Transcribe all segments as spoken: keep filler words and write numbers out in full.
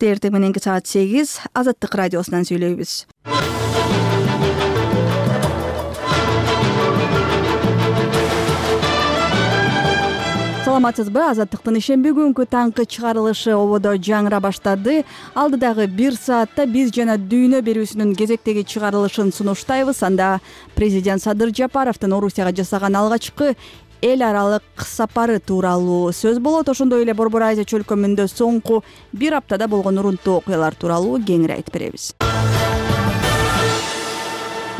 Эртең мененки саат сегиз Азаттык радиосунан сүйлөйбүз. Саламатсызбы? Азаттыктын ишемби күнкү таңкы чыгарылышы ободо жаңыра баштады. Алдыдагы бир саатта биз жана дүйнө берүүсүнүн кезектеги чыгарылышын сунуштайбыз. Анда президент Садыр Жапаровдун Орусияга жасаган алгачкы эл аралык сапары тууралуу сөз болот. Ошондой эле Борбор Азия чөлкөмүндө соңку бир аптада болгон урунттуу окуялар тууралуу кеңири айтып беребиз.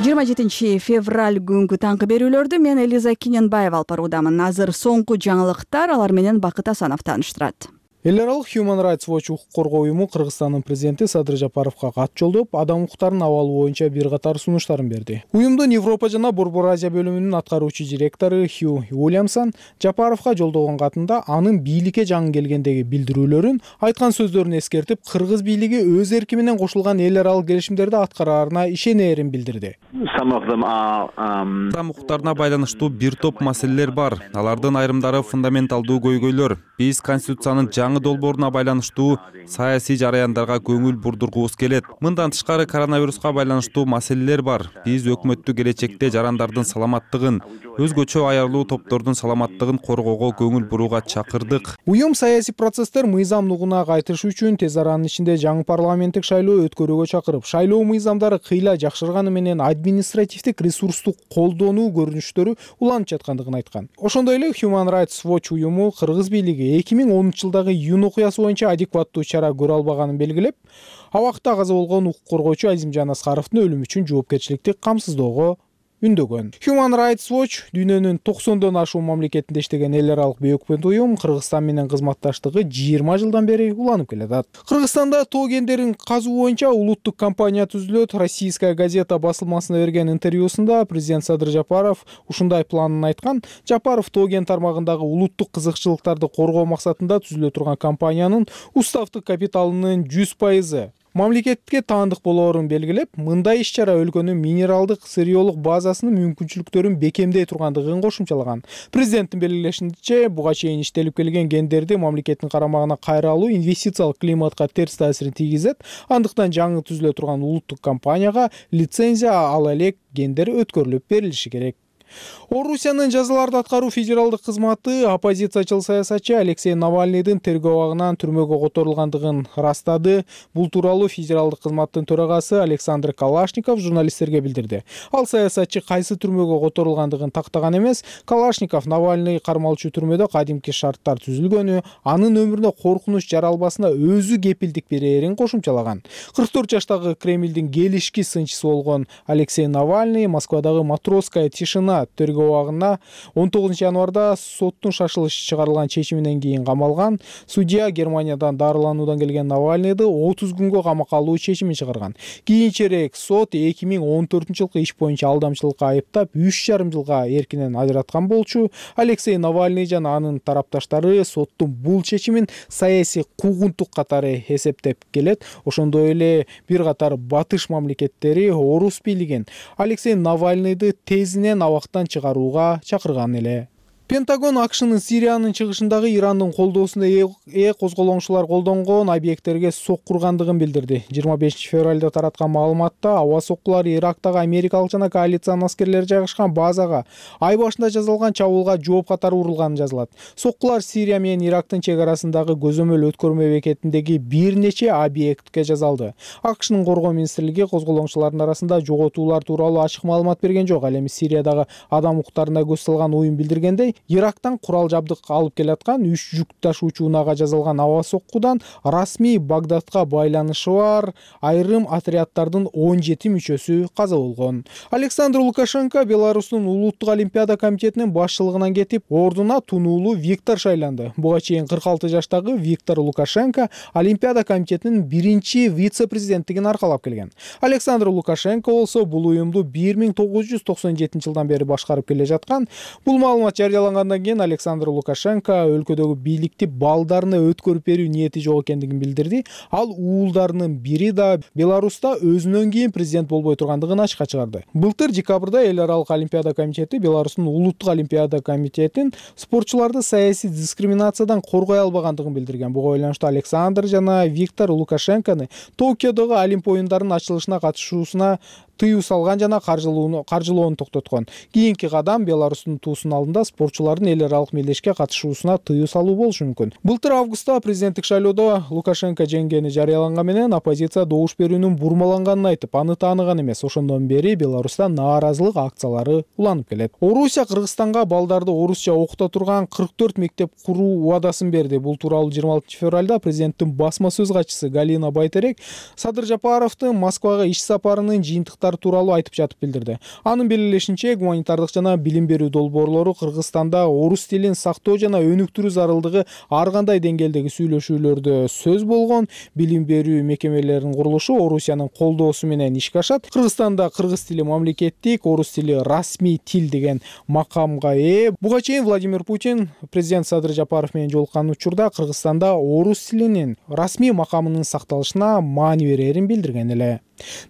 жыйырма жетинчи февраль күнгү таңкы берүүлөрдү мен Элиза Киненбаева алып баруудамын. Азыр соңку жаңылыктар, алар менен Бакыт Асанов тааныштырат. Эл аралык Human Rights Watch укук коргоо уюму Кыргызстандын президенти Садыр Жапаровго кат жолдоп, адам укуктарынын абалы боюнча бир катар сунуштарын берди. Уюмдун Европа жана Борбор Азия бөлүмүнүн аткаруучу директору Хью Уильямсон Жапаровго жолдогон катында анын бийликке жаңы келгендеги билдирүүлөрүн, айткан сөздөрүн эскертип, кыргыз бийлиги өз эрки менен кошулган эл аралык келишимдерди аткараарына ишенээрин билдирди. Адам укуктарына байланыштуу бир топ маселелер бар. Алардын айрымдары фундаменталдуу көйгөйлөр. Биз конституциянын жаңы долбооруна байланыштуу саясий жараяндарга көңүл бурдургубуз келет. Мындан тышкары коронавируска байланыштуу маселелер бар. Биз өкмөттү келечекте жарандардын саламаттыгын, өзгөчө аярлуу топтордун саламаттыгын коргоого көңүл бурууга чакырдык. Уюм саясий процесстер мыйзамдуулугуна кайтыш үчүн тез аранын ичинде жаңы парламенттик шайлоо өткөрүүгө чакырып, шайлоо мыйзамдары кыйла жакшырганы менен административдик ресурстук колдонуу көрүнүштөрү уланып жаткандыгын айткан. Ошондой эле Human Rights Watch уюму кыргыз бийлиги эки миң онунчу жылдагы июнь окуясы боюнча адекваттуу чара көрө албаганын белгилеп, абакта каза болгон укук коргоочу Азимжан Аскаровдун өлүмү үчүн жоопкерчиликти камсыздоого үндөгөн. Human Rights Watch дүйнөнүн токсондон ашуун мамлекетинде иштеген эл аралык бейөкмөт уюм Кыргызстан менен кызматташтыгы жыйырма жылдан бери уланып келатат. Кыргызстанда тоо кендерин казуу боюнча улуттук компания түзүлөт. Российская газета басылмасына берген интервьюсунда президент Садыр Жапаров ушундай планын айткан. Жапаров тоо кен тармагындагы улуттук кызыкчылыктарды коргоо максатында түзүлө турган компаниянын уставдык капиталынын жүз пайызы мамлекетке таандык болоорун белгилеп, мындай иш-чара өлкөнүн минералдык сырьеолук базасынын мүмкүнчүлүктөрүн бекемдей тургандыгын кошумчалаган. Президенттин белгилешинче, буга чейин иштелип келген кендерди мамлекеттин карамагына кайра алуу инвестициялык климатка терс таасирин тийгизет. Андыктан жаңы түзүлө турган улуттук компанияга лицензия ала элек кендер өткөрүлүп берилиши керек. Орусиянын жазаларды аткаруу федералдык кызматы оппозициячыл саясатчы Алексей Навальныйдын тергөө абагынан түрмөгө которулгандыгын ырастады. Бул тууралуу федералдык кызматтын төрагасы Александр Калашников журналисттерге билдирди. Ал саясатчы кайсы түрмөгө которулгандыгын тактаган эмес, Калашников Навальный кармалчу түрмөдө кадимки шарттар түзүлгөнү, анын өмүрүнө коркунуч жаралбасына өзү кепилдик берээрин кошумчалаган. кырк төрт жаштагы Кремлдин келишки сынчысы болгон Алексей Навальный Москвадагы Матросская тишина тергөө абагына он тогузунчу январда соттун шашылыш чыгарылган чечиминен кийин камалган. Судья Германиядан дарылануудан келген Навальныйды отуз күнгө камакка алуу чечимин чыгарган. Кийинчерээк сот эки миң он төртүнчү жылкы иш боюнча алдамчылыкка айыптап үч жарым жылга эркинен ажыраткан болчу. Алексей Навальный жана анын тарапташтары соттун бул чечимин саясий куугунтук катары эсептеп келет. Ошондой эле бир катар батыш мамлекеттери орус бийлигин Алексей Навальныйды тезинен абактан чыгарууга чакырган эле. Пентагон АКШнын Сириянын чыгышындагы Ирандын колдоосуна ээ козголоңчулар колдонгон объекттерге соккургандыгын билдирди. жыйырма бешинчи февралда тараткан маалыматта аба соккулары Ирактагы америкалык жана коалициянын аскерлери жайгашкан базага ай башында жасалган чабуулга жооп катары урулганы жазылат. Соккулар Сирия менен Ирактын чек арасындагы көзөмөл өткөрмө бекетиндеги бир нече объектке жасалды. АКШнын коргоо министрлиги козголоңчулардын арасында жоготуулар тууралуу ачык маалымат берген жок. Ал эми Сириядагы адам укуктарына көз салган уюм билдиргендей, Ирактан курал жабдык алып келаткан үч жүк ташуучу унаага жасалган аба соккудан расмий Багдадка байланышы бар айрым отряддардын он жети мүчөсү каза болгон. Александр Лукашенко Беларустун улуттук олимпиада комитетинин башчылыгынан кетип, ордуна тунуулуу Виктор шайланды. Буга чейин кырк алты жаштагы Виктор Лукашенко олимпиада комитетинин биринчи вице-президенттигин аркалап келген. Александр Лукашенко болсо бул уюмду бир миң тогуз жүз токсон жетинчи жылдан бери башкарып келе жаткан. Бул маалымат жарыяланган жарыялангандан кийин Александр Лукашенко өлкөдөгү бийликти балдарына өткөрүп берүү ниети жок экендигин билдирди. Ал уулдарынын бири да Беларуста өзүнөн кийин президент болбой тургандыгын ачыкка чыгарды. Былтыр декабрда эл аралык олимпиада комитети Беларустун улуттук олимпиада комитетин спортчуларды саясий дискриминациядан коргой албагандыгын билдирген. Буга байланыштуу Александр жана Виктор Лукашенкону Токиодогу Олимп оюндарынын ачылышына катышуусуна тыюу салган жана каржылоону токтоткон. Кийинки кадам Беларустун туусунун алдында спортчулардын эл аралык мелдешке катышуусуна тыюу салуу болушу мүмкүн. Былтыр августта президенттик шайлоодо Лукашенко жеңгени жарыяланган менен оппозиция добуш берүүнүн бурмаланганын айтып, аны тааныган эмес. Ошондон бери Беларуста нааразылык акциялары уланып келет. Орусия Кыргызстанга балдарды орусча окута турган кырк төрт мектеп куруу убадасын берди. Бул тууралуу жыйырма алтынчы февралда президенттин басма сөз катчысы Галина Байтерек Садыр Жапаровдун Москвага иш сапарынын жыйынтыктары тууралуу айтып жатып билдирди. Анын белгилешинче, гуманитардык жана билим берүү долбоорлору Кыргызстанда орус тилин сактоо жана өнүктүрүү зарылдыгы ар кандай деңгээлдеги сүйлөшүүлөрдө сөз болгон. Билим берүү мекемелеринин курулушу Орусиянын колдоосу менен ишке ашат. Кыргызстанда кыргыз тили мамлекеттик, орус тили расмий тил деген макамга ээ. Буга чейин Владимир Путин президент Садыр Жапаров менен жолуккан учурда Кыргызстанда орус тилинин расмий макамынын сакталышына маани берерин билдирген эле.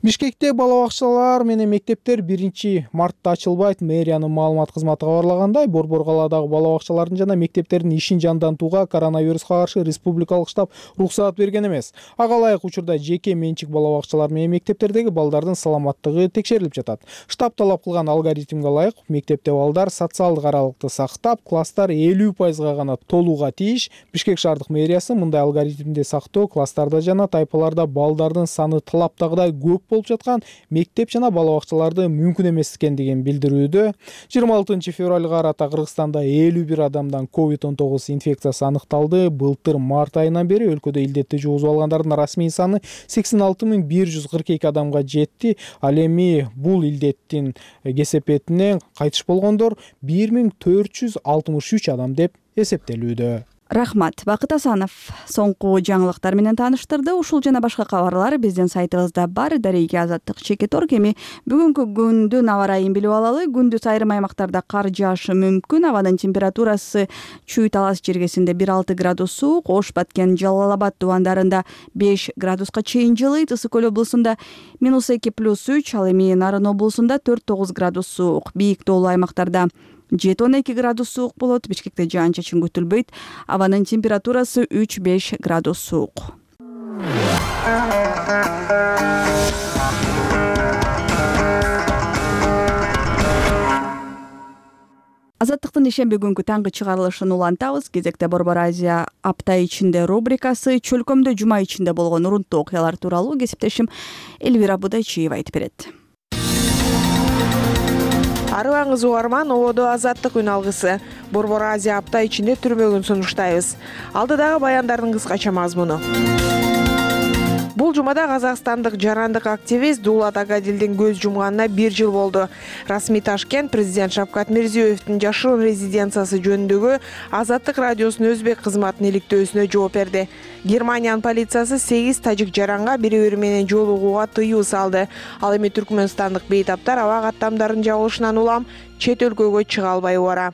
Бишкекте бала бакчалар менен мектептер биринчи мартта ачылбайт. Мэриянын маалымат кызматы кабарлагандай, Борбор калаадагы бала бакчалардын жана мектептердин ишин жандантууга коронавируска каршы республикалык штаб уруксаат берген эмес. Ага ылайык учурда жеке менчик бала бакчалар менен мектептердеги балдардын саламаттыгы текшерилип жатат. Штаб талап кылган алгоритмге ылайык мектепте балдар социалдык аралыкты сактап, класстар элүү пайызга гана толууга тийиш. Бишкек шаардык мэриясы мындай алгоритмди сактоо класстарда жана тайпаларда балдардын саны талаптагыдай көп болуп жаткан мектеп жана бала бакчаларды мүмкүн эмес экендигин билдирүүдө. жыйырма алтынчы февралга карата Кыргызстанда элүү бир адамдан ковид он тогуз инфекциясы аныкталды. Былтыр март айынан бери өлкөдө илдетти жугузуп алгандардын расмий саны сексен алты миң бир жүз кырк эки адамга жетти. Ал эми бул илдеттин кесепетинен кайтыш болгондор бир миң төрт жүз алтымыш үч адам деп эсептелүүдө. Рахмат, Бакыт Асанов соңку жаңылыктар менен тааныштырды. Ушул жана башка кабарлар биздин сайтыбызда бар. Дареги Азаттык чекит орг. Эми бүгүнкү күндүн аба ырайын билип алалы. Күндүз айрым аймактарда кар жаашы мүмкүн. Абанын температурасы Чүй Талас жергесинде бир алты градус суук, Ош, Баткен, Жалал Абад дубандарында беш градуска чейин жылыйт. Ысык Көл облусунда минус эки плюс үч, ал эми Нарын облусунда төрт тогуз градус суук. Бийик тоолуу аймактарда жети он эки градус суук болот. Бишкекте жаан чачын күтүлбөйт. Абанын температурасы үч беш градус суук. Азаттыктын ишемби күнгү таңкы чыгарылышын улантабыз. Кезекте Борбор Азия апта ичинде рубрикасы. Чөлкөмдө жума ичинде болгон урунттуу окуялар тууралуу кесиптешим Элвира Будайчиева айтып берет. Арыбаңыз угарман, ободо Азаттык үн алгысы. Борбор Азия апта ичинде түрмөгүн сунуштайбыз. Алдыдагы баяндардын кыскача мазмуну. Бул жумада казакстандык жарандык активист Дулат Агадилдин көз жумганына бир жыл болду. Расмий Ташкент президент Шавкат Мирзиёевдин жашырын резиденциясы жөнүндөгү Азаттык радиосунун өзбек кызматынын иликтөөсүнө жооп берди. Германиянын полициясы сегиз тажик жаранга бири-бири менен жолугууга тыюу салды. Ал эми түркмөнстандык бейтаптар аба каттамдарын жабылышынан улам чет өлкөгө чыга албай убара.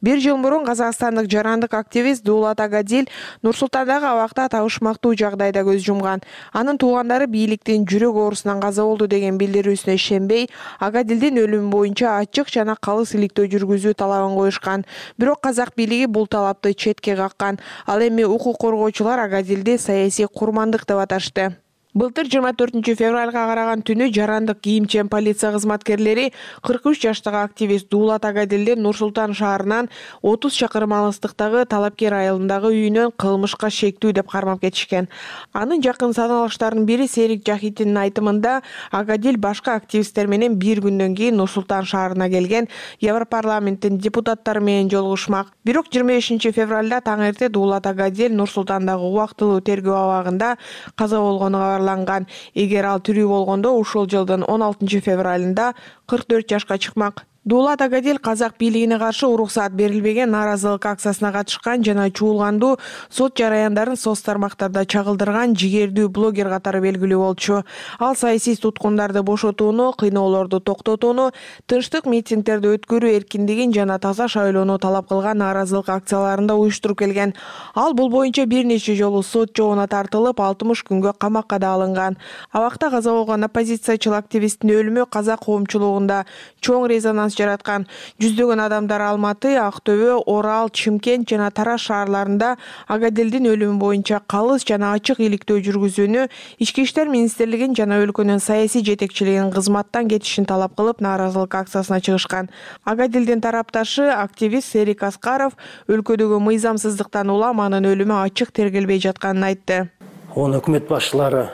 Бир жыл мурун казакстандык жарандык активист Дулат Агадил Нур-Султандагы абакта табышмактуу жагдайда көз жумган. Анын туугандары бийликтин жүрөк оорусунан каза болду деген билдирүүсүнө ишенбей, Агадилдин өлүмү боюнча ачык жана калыс иликтөө жүргүзүү талабын коюшкан. Бирок казак бийлиги бул талапты четке каккан. Ал эми укук коргоочулар Агадилди саясий курмандык деп аташты. Былтыр жыйырма төртүнчү февралга караган түнү жарандык кийимчен полиция кызматкерлери кырк үч жаштагы активист Дулат Агадилдин Нур-Султан шаарынан отуз чакырым алыстыктагы Талапкер айылындагы үйүнөн кылмышка шектүү деп кармап кетишкен. Анын жакын саналыштарынын бири Серик Жахитиндин айтымында Агадил башка активисттер менен бир күндөн кийин Нур-Султан шаарына келген Европарламенттин депутаттары менен жолугушмак. Бирок жыйырма бешинчи февралда таң эрте Дулат Агадил Нур-Султандагы убактылуу тергөө абагында каза болгону Эгер ал тирүү болгондо ушул жылдын он алтынчы февралында кырк төрт жашка чыкмак. Дулат Агадил казак бийлигине каршы уруксаат берилбеген нааразылык акциясына катышкан жана чуулгандуу сот жараяндарын соц тармактарда чагылдырган жигердүү блогер катары белгилүү болчу. Ал саясий туткундарды бошотууну, кыйноолорду токтотууну, тынчтык митингдерди өткөрүү эркиндигин жана таза шайлоону талап кылган нааразылык акцияларында уюштуруп келген. Ал бул боюнча бир нече жолу сот жообуна тартылып, алтымыш күнгө камакка да алынган. Абакта каза болгон оппозициячыл активисттин өлүмү казак коомчулугунда чоң резонанс жараткан. Жүздөгөн адамдар Алматы, Актөбө, Орал, Чымкент жана Тараз шаарларында Агадилдин өлүмү боюнча калыс жана ачык иликтөө жүргүзүүнү, Ички иштер министрлигин жана өлкөнүн саясий жетекчилигин кызматтан кетишин талап кылып, нааразылык акциясына чыгышкан. Агадилдин тарапташы активист Серик Аскаров өлкөдөгү мыйзамсыздыктан улам анын өлүмү ачык тергелбей жатканын айтты. Оны өкмөт башчылары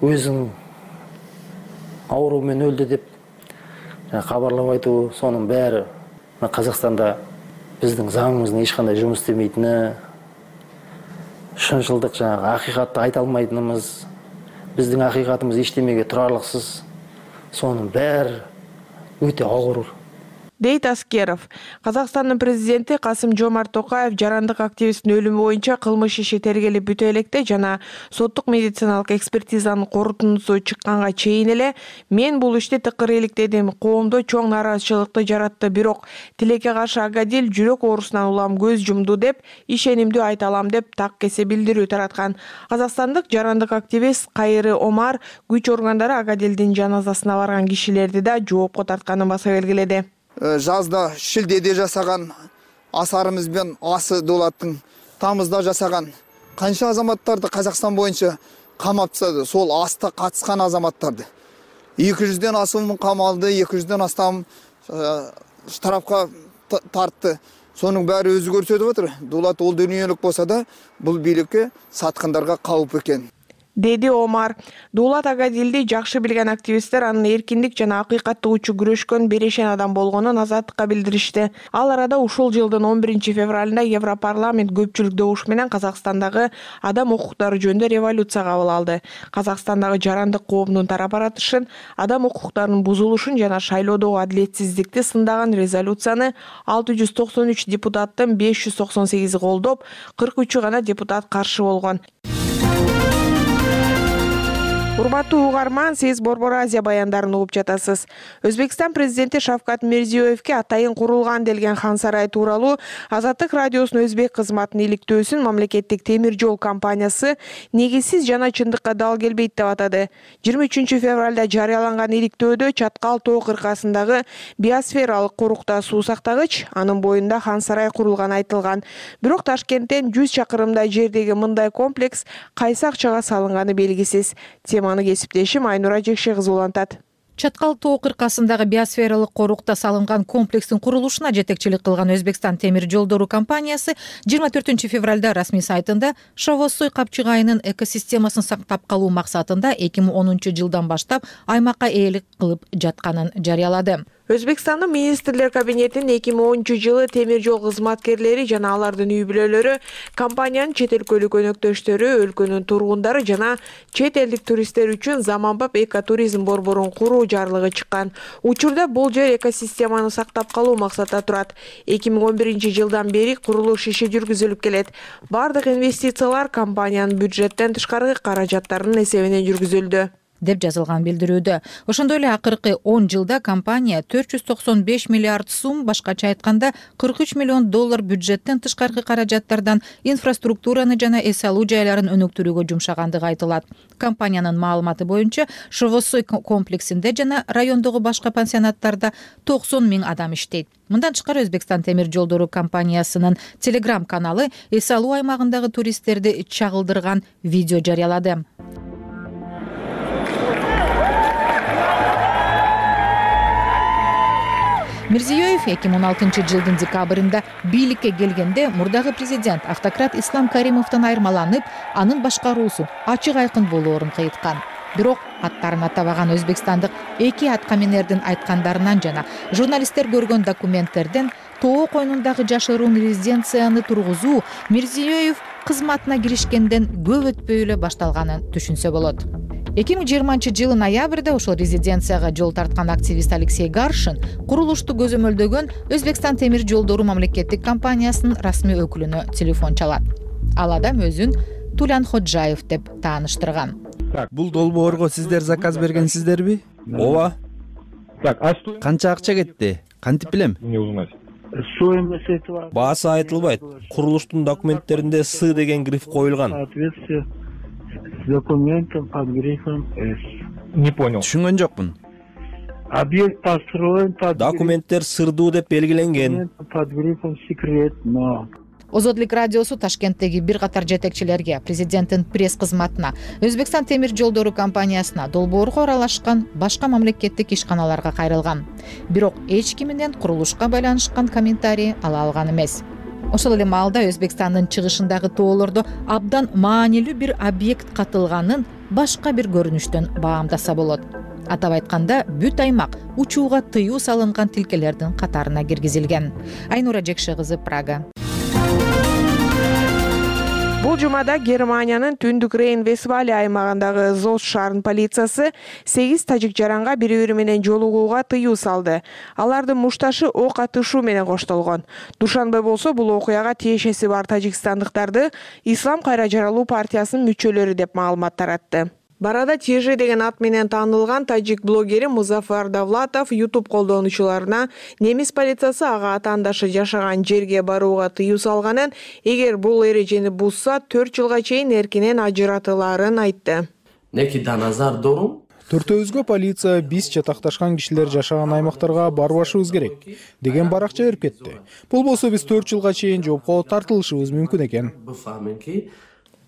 өзүнүн оору менен өлдү деп кабарлап айтуу, сонун баары Казакстанда биздин заңыбыздын эч кандай жумуш истемейтини, шынчылдык жанагы акыйкатты айта алмайтыныбыз, биздин акыйкатыбыз эчтемеге турарлыксыз, сонун баары өтө оорур, дейт Аскеров. Казакстандын президенти Касым-Жомарт Токаев жарандык активисттин өлүмү боюнча кылмыш иши тергелип бүтө электе жана соттук медициналык экспертизанын корутундусу чыкканга чейин эле мен бул ишти тыкыр иликтедим, коомдо чоң нааразычылыкты жаратты, бирок тилекке каршы Агадил жүрөк оорусунан улам көз жумду деп ишенимдүү айта алам деп так кесе билдирүү тараткан. Казакстандык жарандык активист Кайры Омар күч органдары Агадилдин жаназасына барган кишилерди да жоопко тартканын баса белгиледи. Жазда шилдеде жасаган асарымыз бен асы Дулаттың тамызда жасаган канча азаматтарды Казакстан боюнча камап тастады. Сол аста катышкан азаматтарды эки жүздөн асуун камалды, эки жүздөн астам штрафка тартты. Сонун баары өзү көрсөтүп атыр. Дулат ол дүйнөлүк болсо да бул бийликке саткандарга калып экен, деди Омар. Дулат Агадилди жакшы билген активисттер анын эркиндик жана акыйкаттык үчүн күрөшкөн берешен адам болгонун азаттыкка билдиришти. Ал арада ушул жылдын он биринчи февралында Европарламент көпчүлүк добуш менен Казакстандагы адам укуктары жөнүндө резолюция кабыл алды. Казакстандагы жарандык коомдун тарап аратышын, адам укуктарынын бузулушун жана шайлоодогу адилетсиздикти сындаган резолюцияны алты жүз токсон үч депутаттын беш жүз токсон сегизи колдоп, кырк үчү гана депутат каршы болгон. Урматтуу угарман, сиз Борбор Азия баяндарын угуп жатасыз. Өзбекстан президенти Шавкат Мирзиёевке атайын курулган делген хан сарай тууралуу Азаттык радиосунун өзбек кызматынын иликтөөсүн мамлекеттик темир жол компаниясы негизсиз жана чындыкка дал келбейт деп атады. жыйырма үчүнчү февралда жарыяланган иликтөөдө Чаткал тоо кыркасындагы биосфералык корукта суу сактагыч, анын боюнда хан сарай курулганы айтылган. Бирок Ташкенттен жүз чакырымдай жердеги мындай комплекс кайсы акчага салынганы белгисиз. Аны кесиптешим Айнура Жекше кызы улантат. Чаткал тоо кыркасындагы биосфералык корукта салынган комплекстин курулушуна жетекчилик кылган Өзбекстан темир жолдору компаниясы жыйырма төртүнчү февралда расмий сайтында Шавоссой капчык айынын экосистемасын сактап калуу максатында эки миң онунчу жылдан баштап аймакка ээлик кылып жатканын жарыялады. Өзбекстандын министрлер кабинетинин эки миң онунчу жылы темир жол кызматкерлери жана алардын үй бүлөлөрү компаниянын чет өлкөлүк өнөктөштөрү, өлкөнүн тургундары жана чет элдик туристтер үчүн заманбап экотуризм борборун куруу жарлыгы чыккан. Учурда бул жер экосистеманы сактап калуу максатта турат. эки миң он биринчи жылдан бери курулуш иши жүргүзүлүп келет. Бардык инвестициялар компаниянын бюджеттен тышкаркы каражаттарынын эсебинен жүргүзүлдү деп жазылган билдирүүдө. Ошондой эле акыркы он жылда компания төрт жүз токсон беш миллиард сум, башкача айтканда кырк үч миллион доллар бюджеттен тышкаркы каражаттардан инфраструктураны жана эс алуу жайларын өнүктүрүүгө жумшагандыгы айтылат. Компаниянын маалыматы боюнча Шавоссой комплексинде жана райондогу башка пансионаттарда токсон миң адам иштейт. Мындан тышкары Өзбекстан темир жолдору компаниясынын Telegram каналы эс алуу аймагындагы туристтерди чагылдырган видео жарыялады. Мирзиёев эки миң он алтынчы жылдын декабрында бийликке келгенде мурдагы президент автократ Ислам Каримовдон айырмаланып, анын башкаруусу ачык айкын болоорун кыйткан. Бирок аттарын атабаган өзбекстандык эки аткаминердин айткандарынан жана журналисттер көргөн документтерден тоо койнундагы жашыруун резиденцияны тургузуу Мирзиёев кызматына киришкенден көп өтпөй эле башталганын түшүнсө болот. эки миң жыйырманчы жылы ноябрда ошол резиденцияга жол тарткан активист Алексей Гаршин курулушту көзөмөлдөгөн Өзбекстан темир жолдору мамлекеттик компаниясынын расмий өкүлүнө телефон чалат. Ал адам өзүн Тулян Ходжаев деп тааныштырган. Бул долбоорго сиздер заказ бергенсиздерби? Ооба. Канча акча кетти? Кантип билем? Баасы айтылбайт. Курулуштун документтеринде С деген гриф коюлган. Не понял. Түшүнгөн жокмун. Объект построен под Документтер сырдуу деп белгиленген. под грифом секретно. Озодлук радиосу Ташкенттеги бир катар жетекчилерге, президенттин пресс кызматына, Өзбекстан темир жолдору компаниясына, долбоорго аралашкан башка мамлекеттик ишканаларга кайрылган. Бирок эч кимден курулушка байланышкан комментарий ала алган эмес. Ошол эле маалда Өзбекстандын чыгышындагы тоолордо абдан маанилүү бир объект катылганын башка бир көрүнүштөн баамдаса болот. Атап айтканда, бүт аймак учууга тыюу салынган тилкелердин катарына киргизилген. Айнура Жекше кызы, Прага. Бул жумада Германиянын түндүк Рейн-Вестфалия аймагындагы Зос шаарынын полициясы сегиз тажик жаранга бири-бири менен жолугууга тыюу салды. Алардын мушташы ок атышуу менен коштолгон. Душанбе болсо бул окуяга тиешеси бар тажикстандыктарды Ислам кайра жаралуу партиясынын мүчөлөрү деп маалымат таратты. Барада Тежи деген ат менен таанылган тажик блогери Музафар Давлатов YouTube колдонуучуларына немис полициясы ага атаандашы жашаган жерге барууга тыюу салганын, эгер бул эрежени бузса төрт жылга чейин эркинен ажыратылаарын айтты. Төртөөбүзгө полиция биз чатакташкан кишилер жашаган аймактарга барбашыбыз керек деген баракча берип кетти. Бул болсо биз төрт жылга чейин жоопко тартылышыбыз мүмкүн экен.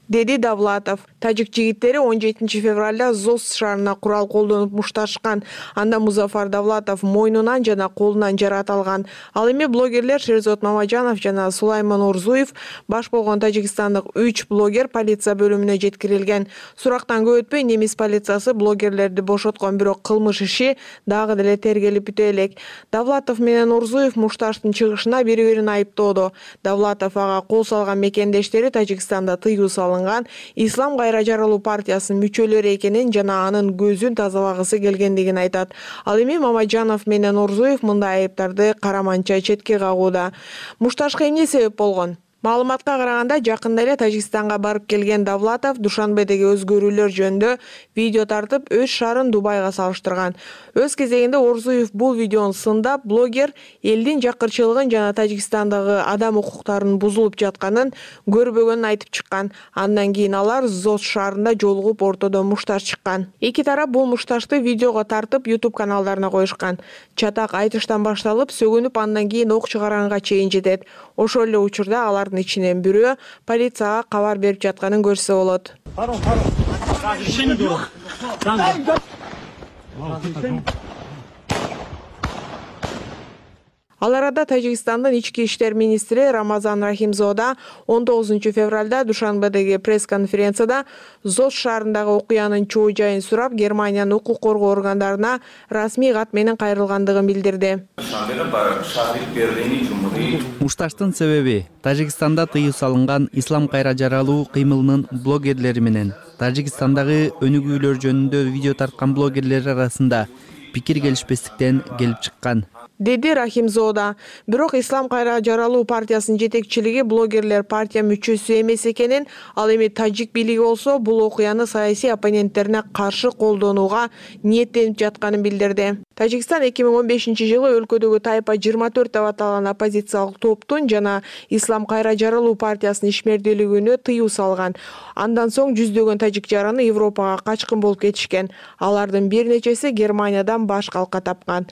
Деди Давлатов. Тажик жигиттери он жетинчи февралда Зос шаарына курал колдонуп мушташкан. Анда Музафар Давлатов мойнунан жана колунан жарат алган. Ал эми блогерлер Шерзот Мамажанов жана Сулайман Орзуев баш болгон тажикстандык үч блогер полиция бөлүмүнө жеткирилген. Сурактан көп өтпөй немис полициясы блогерлерди бошоткон, бирок кылмыш иши дагы деле тергелип бүтө элек. Давлатов менен Орзуев мушташтын чыгышына бири-бирин айыптоодо. Давлатов ага кол салган мекендештери Тажикстанда тыюу салынган Ислам кайра жаралуу партиясынын мүчөлөрү экенин жана анын көзүн тазалагысы келгендигин айтат. Ал эми Мамажанов менен Орзуев мындай айыптарды караманча четке кагууда. Мушташка эмне себеп болгон? Маалыматка караганда, жакында эле Тажикстанга барып келген Давлатов Душанбедеги өзгөрүүлөр жөнүндө видео тартып, өз шаарын Дубайга салыштырган. Өз кезегинде Орзуев бул видеону сындап, блогер элдин жакырчылыгын жана Тажикстандагы адам укуктарынын бузулуп жатканын көрбөгөнүн айтып чыккан. Андан кийин алар Зос шаарында жолугуп, ортодо мушташ чыккан. Эки тарап бул мушташты видеого тартып YouTube каналдарына коюшкан. Чатак айтыштан башталып, сөгүнүп, андан кийин ок чыгаранга чейин жетет. Ошол эле учурда алар ичинен бирөө полицияга кабар берип жатканын көрсө болот. Ал арада Тажикстандын ички иштер министри Рамазан Рахимзода он тогузунчу февралда Душанбедеги пресс-конференцияда Зос шаарындагы окуянын чоо жайын сурап, Германиянын укук коргоо органдарына расмий кат менен кайрылгандыгын билдирди. Мушташтын себеби Тажикстанда тыюу салынган Ислам кайра жаралуу кыймылынын блогерлери менен Тажикстандагы өнүгүүлөр жөнүндө видео тарткан блогерлер арасында пикир келишпестиктен келип чыккан, деди Рахимзода. Бирок Ислам кайра жаралуу партиясынын жетекчилиги блогерлер партия мүчөсү эмес экенин, ал эми тажик бийлиги болсо бул окуяны саясий оппоненттерине каршы колдонууга ниеттенип жатканын билдирди. Тажикстан эки миң он бешинчи жылы өлкөдөгү Тайпа жыйырма төрт деп аталган оппозициялык топтун жана Ислам кайра жаралуу партиясынын ишмердүүлүгүнө тыюу салган. Андан соң жүздөгөн тажик жараны Европага качкын болуп кетишкен. Алардын бир нечеси Германиядан баш калка тапкан.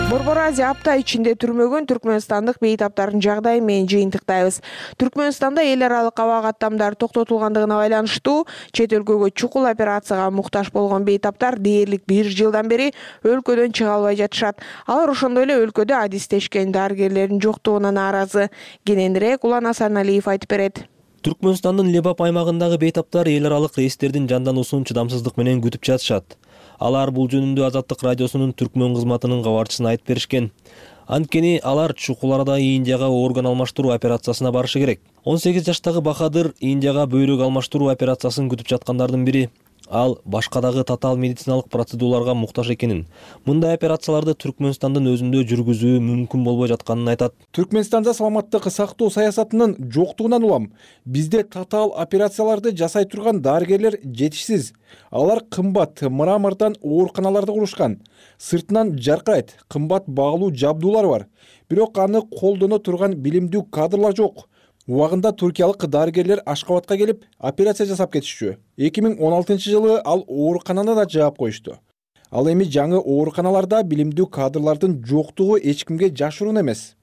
Борбор Азия апта ичинде түрмөгөн түркмөнстандык бейтаптардын жагдайы менен жыйынтыктайбыз. Түркмөнстанда эл аралык аба каттамдары токтотулгандыгына байланыштуу чет өлкөгө чукул операцияга муктаж болгон бейтаптар дээрлик бир жылдан бери өлкөдөн чыга албай жатышат. Алар ошондой эле өлкөдө адистешкен дарыгерлердин жоктугуна нааразы. Кененирээк Улан Асаналиев айтып берет. Түркмөнстандын Лебап аймагындагы бейтаптар эл аралык рейстердин жандануусун чыдамсыздык менен күтүп жатышат. Алар бул жөнүндө Азаттык радиосунун түркмөн кызматынын кабарчысына айтып беришкен. Анткени алар чукул арада Индияга орган алмаштыруу операциясына барышы керек. он сегиз жаштагы Бахадыр Индияга бөйрөк алмаштыруу операциясын күтүп жаткандардын бири. Ал башка дагы татаал медициналык процедураларга муктаж экенин, мындай операцияларды Түркмөнстандын өзүндө жүргүзүү мүмкүн болбой жатканын айтат. Түркмөнстанда саламаттык сактоо саясатынын жоктугунан улам бизде татаал операцияларды жасай турган дарыгерлер жетишсиз. Алар кымбат мрамордон ооруканаларды курушкан. Сыртынан жаркырайт, кымбат баалуу жабдуулар бар. Бирок аны колдоно турган билимдүү кадрлар жок. Убагында туркиялык дарыгерлер Ашкабадка келип операция жасап кетишчү. эки миң он алтынчы жылы ал оорукананы да жаап коюшту. Ал эми жаңы ооруканаларда билимдүү кадрлардын жоктугу эч кимге жашыруун эмес.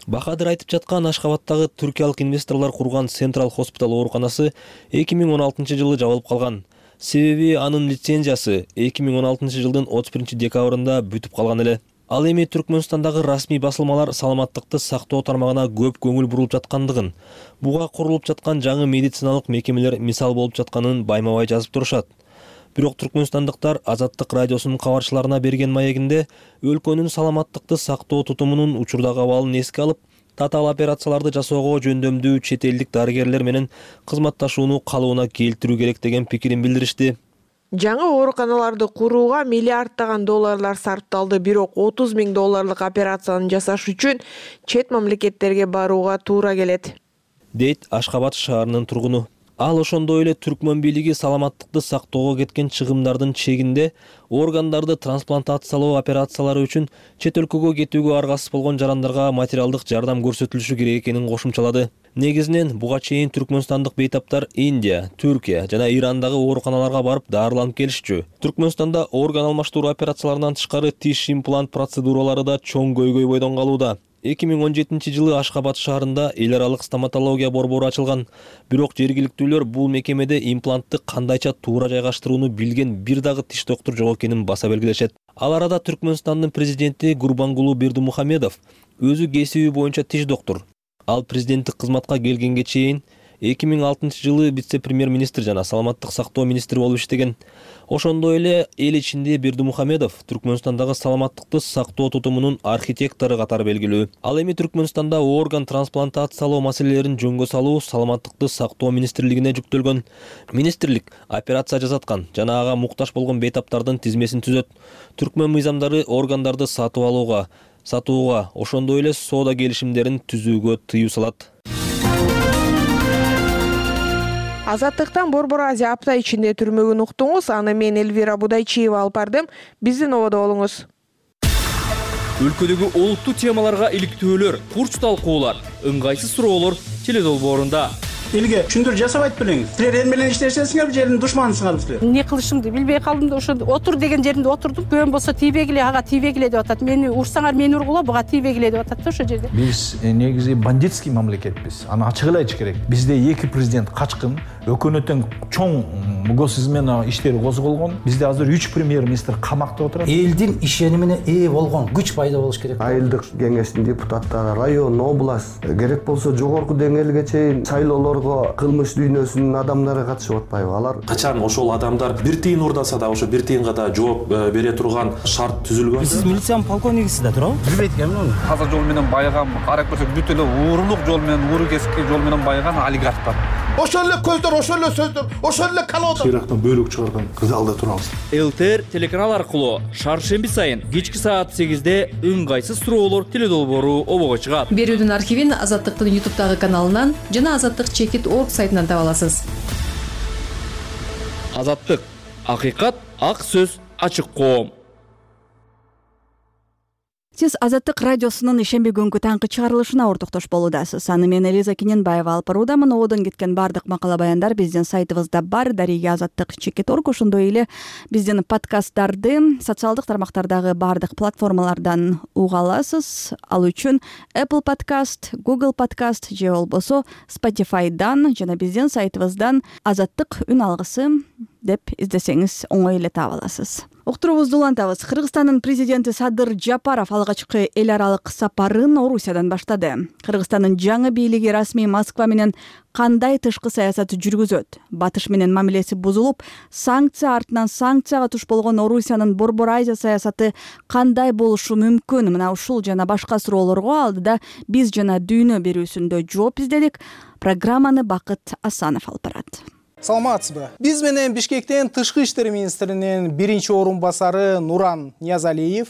Бахадыр айтып жаткан Ашкабадтагы туркиялык инвесторлор курган Central Hospital ооруканасы эки миң он алтынчы жылы жабылып калган. Себеби анын лицензиясы эки миң он алтынчы жылдын отуз биринчи декабрында бүтүп калган эле. Ал эми Түркмөнстандагы расмий басылмалар саламаттыкты сактоо тармагына көп көңүл бурулуп жаткандыгын, буга курулуп жаткан жаңы медициналык мекемелер мисал болуп жатканын байма-бай жазып турушат. Бирок түркмөнстандыктар Азаттык радиосунун кабарчыларына берген маегинде өлкөнүн саламаттыкты сактоо тутумунун учурдагы абалын эске алып, татаал операцияларды жасоого жөндөмдүү чет элдик дарыгерлер менен кызматташууну калыбына келтирүү керек деген пикирин билдиришти. Жаңы ооруканаларды курууга миллиарддаган долларлар сарпталды, бирок отуз миң долларлык операцияны жасаш үчүн чет мамлекеттерге барууга туура келет, дейт Ашкабад шаарынын тургуну. Ал ошондой эле Түркмөн бийлиги саламаттыкты сактоого кеткен чыгымдардын чегинде органдарды трансплантациялоо операциялары үчүн чет өлкөгө кетүүгө аргасыз болгон жарандарга материалдык жардам көрсөтүлүшү керек экенин кошумчалады. Негизинен буга чейин түркмөнстандык бейтаптар Индия, Түркия жана Ирандагы ооруканаларга барып даарыланып келишчү. Түркмөнстанда орган алмаштыруу операцияларынан тышкары тиш имплант процедуралары да чоң көйгөй бойдон калууда. эки миң он жетинчи жылы Ашкабад шаарында эл аралык стоматология борбору ачылган. Бирок жергиликтүүлөр бул мекемеде имплантты кандайча туура жайгаштырууну билген бир дагы тиш доктур жок экенин баса белгилешет. Ал арада Түркмөнстандын президенти Гурбангулу Бердимухамедов өзү кесиби боюнча тиш доктур. Ал президенттик кызматка келгенге чейин эки миң алтынчы жылы вице-премьер-министр жана саламаттык сактоо министри болуп иштеген. Ошондой эле эл ичинде Бердимухамедов Түркмөнстандагы саламаттыкты сактоо тутумунун архитектору катары белгилүү. Ал эми Түркмөнстанда орган трансплантациялоо маселелерин жөнгө салуу саламаттыкты сактоо министрлигине жүктөлгөн. Министрлик операция жасаткан жана ага муктаж болгон бейтаптардын тизмесин түзөт. Түркмөн мыйзамдары органдарды сатып алууга, сатууга, ошондой эле соода келишимдерин түзүүгө тыюу салат. Азаттыктан Борбор Азия апта ичинде түрмөгүн уктуңуз. Аны мен Элвира Будайчиева алып бардым. Биздин ободо болуңуз. Өлкөдөгү олуттуу темаларга иликтөөлөр, курч талкуулар, ыңгайсыз суроолор теледолбоорунда. Элге түшүндүр жасабайт белең. Силер эл менен иштешесиңер, жердин душманысыңар силер. Эмне кылышымды билбей калдым да ошо отур деген жеринде отурдум. Көөм болсо тийбегиле, ага тийбегиле деп атат. Мени урсаңар мени ургула, буга тийбегиле деп атат да ошо жерде. Биз негизи бандитский мамлекетпиз. Аны ачык эле айтыш керек. Бизде эки президент качкын, өкмөттүн чоң госизмен иштери козголгон. Бизде азыр үч премьер-министр камакта отурат. Элдин ишенимине ээ болгон күч пайда болуш керек. Айылдык кеңештин депутаттары, район, область, керек болсо жогорку деңгээлге чейин шайлоолор кылмыш дүйнөсүнүн адамдары катышып атпайбы? Алар качан ошол адамдар бир тыйын урдаса да ошо бир тыйынга да жооп бере турган шарт түзүлгөн. Сиз милициянын полковнигисиз да туурабы? Билбейт экенмин. Казак жол менен байыган, карап көрсөк бүт эле уурулук жол менен, ууру кесипки жол менен байыган олигархтар. Ошол эле көздөр, ошол эле сөздөр, ошол эле калоодор. Ирактан бөлүк чыгарган залда турабыз. ЛТР телеканал аркылуу шаршемби сайын кечки саат сегизде ыңгайсыз суроолор теледолбоору обого чыгат. Берүүдүн архивин Азаттыктын ютубтагы каналынан жана Азаттык чекит точка орг сайтынан таба аласыз. Азаттык, акыйкат, ак сөз, ачык коом. Сиз Азаттык радиосунун ишемби күнгү таңкы чыгарылышына ортоктош болуудасыз. Аны мен Элиза Кененбаева алып баруудамын. Ободон кеткен бардык макала баяндар биздин сайтыбызда бар. Дарыга Азаттык чекит точка орг, ошондой эле биздин подкасттарды социалдык тармактардагы бардык платформалардан уга аласыз. Ал үчүн Apple Podcast, Google Podcast же болбосо Spotify'дан жана биздин сайтыбыздан Азаттык үн алгысы деп издесеңиз оңой эле таба аласыз. уктуруубузду улантабыз. Кыргызстандын президенти Садыр Жапаров алгачкы эл аралык сапарын Орусиядан баштады. Кыргызстандын жаңы бийлиги расмий Москва менен кандай тышкы саясат жүргүзөт? Батыш менен мамилеси бузулуп, санкция артынан санкцияга туш болгон Орусиянын Борбор Азия саясаты кандай болушу мүмкүн? Мына ушул жана башка суроолорго алдыда биз жана дүйнө берүүсүндө жооп издедик. Программаны Бакыт Асанов алып барат. Саламатсызбы? Биз менен Бишкектен тышкы иштер министринин биринчи орун басары Нуран Ниязалиев,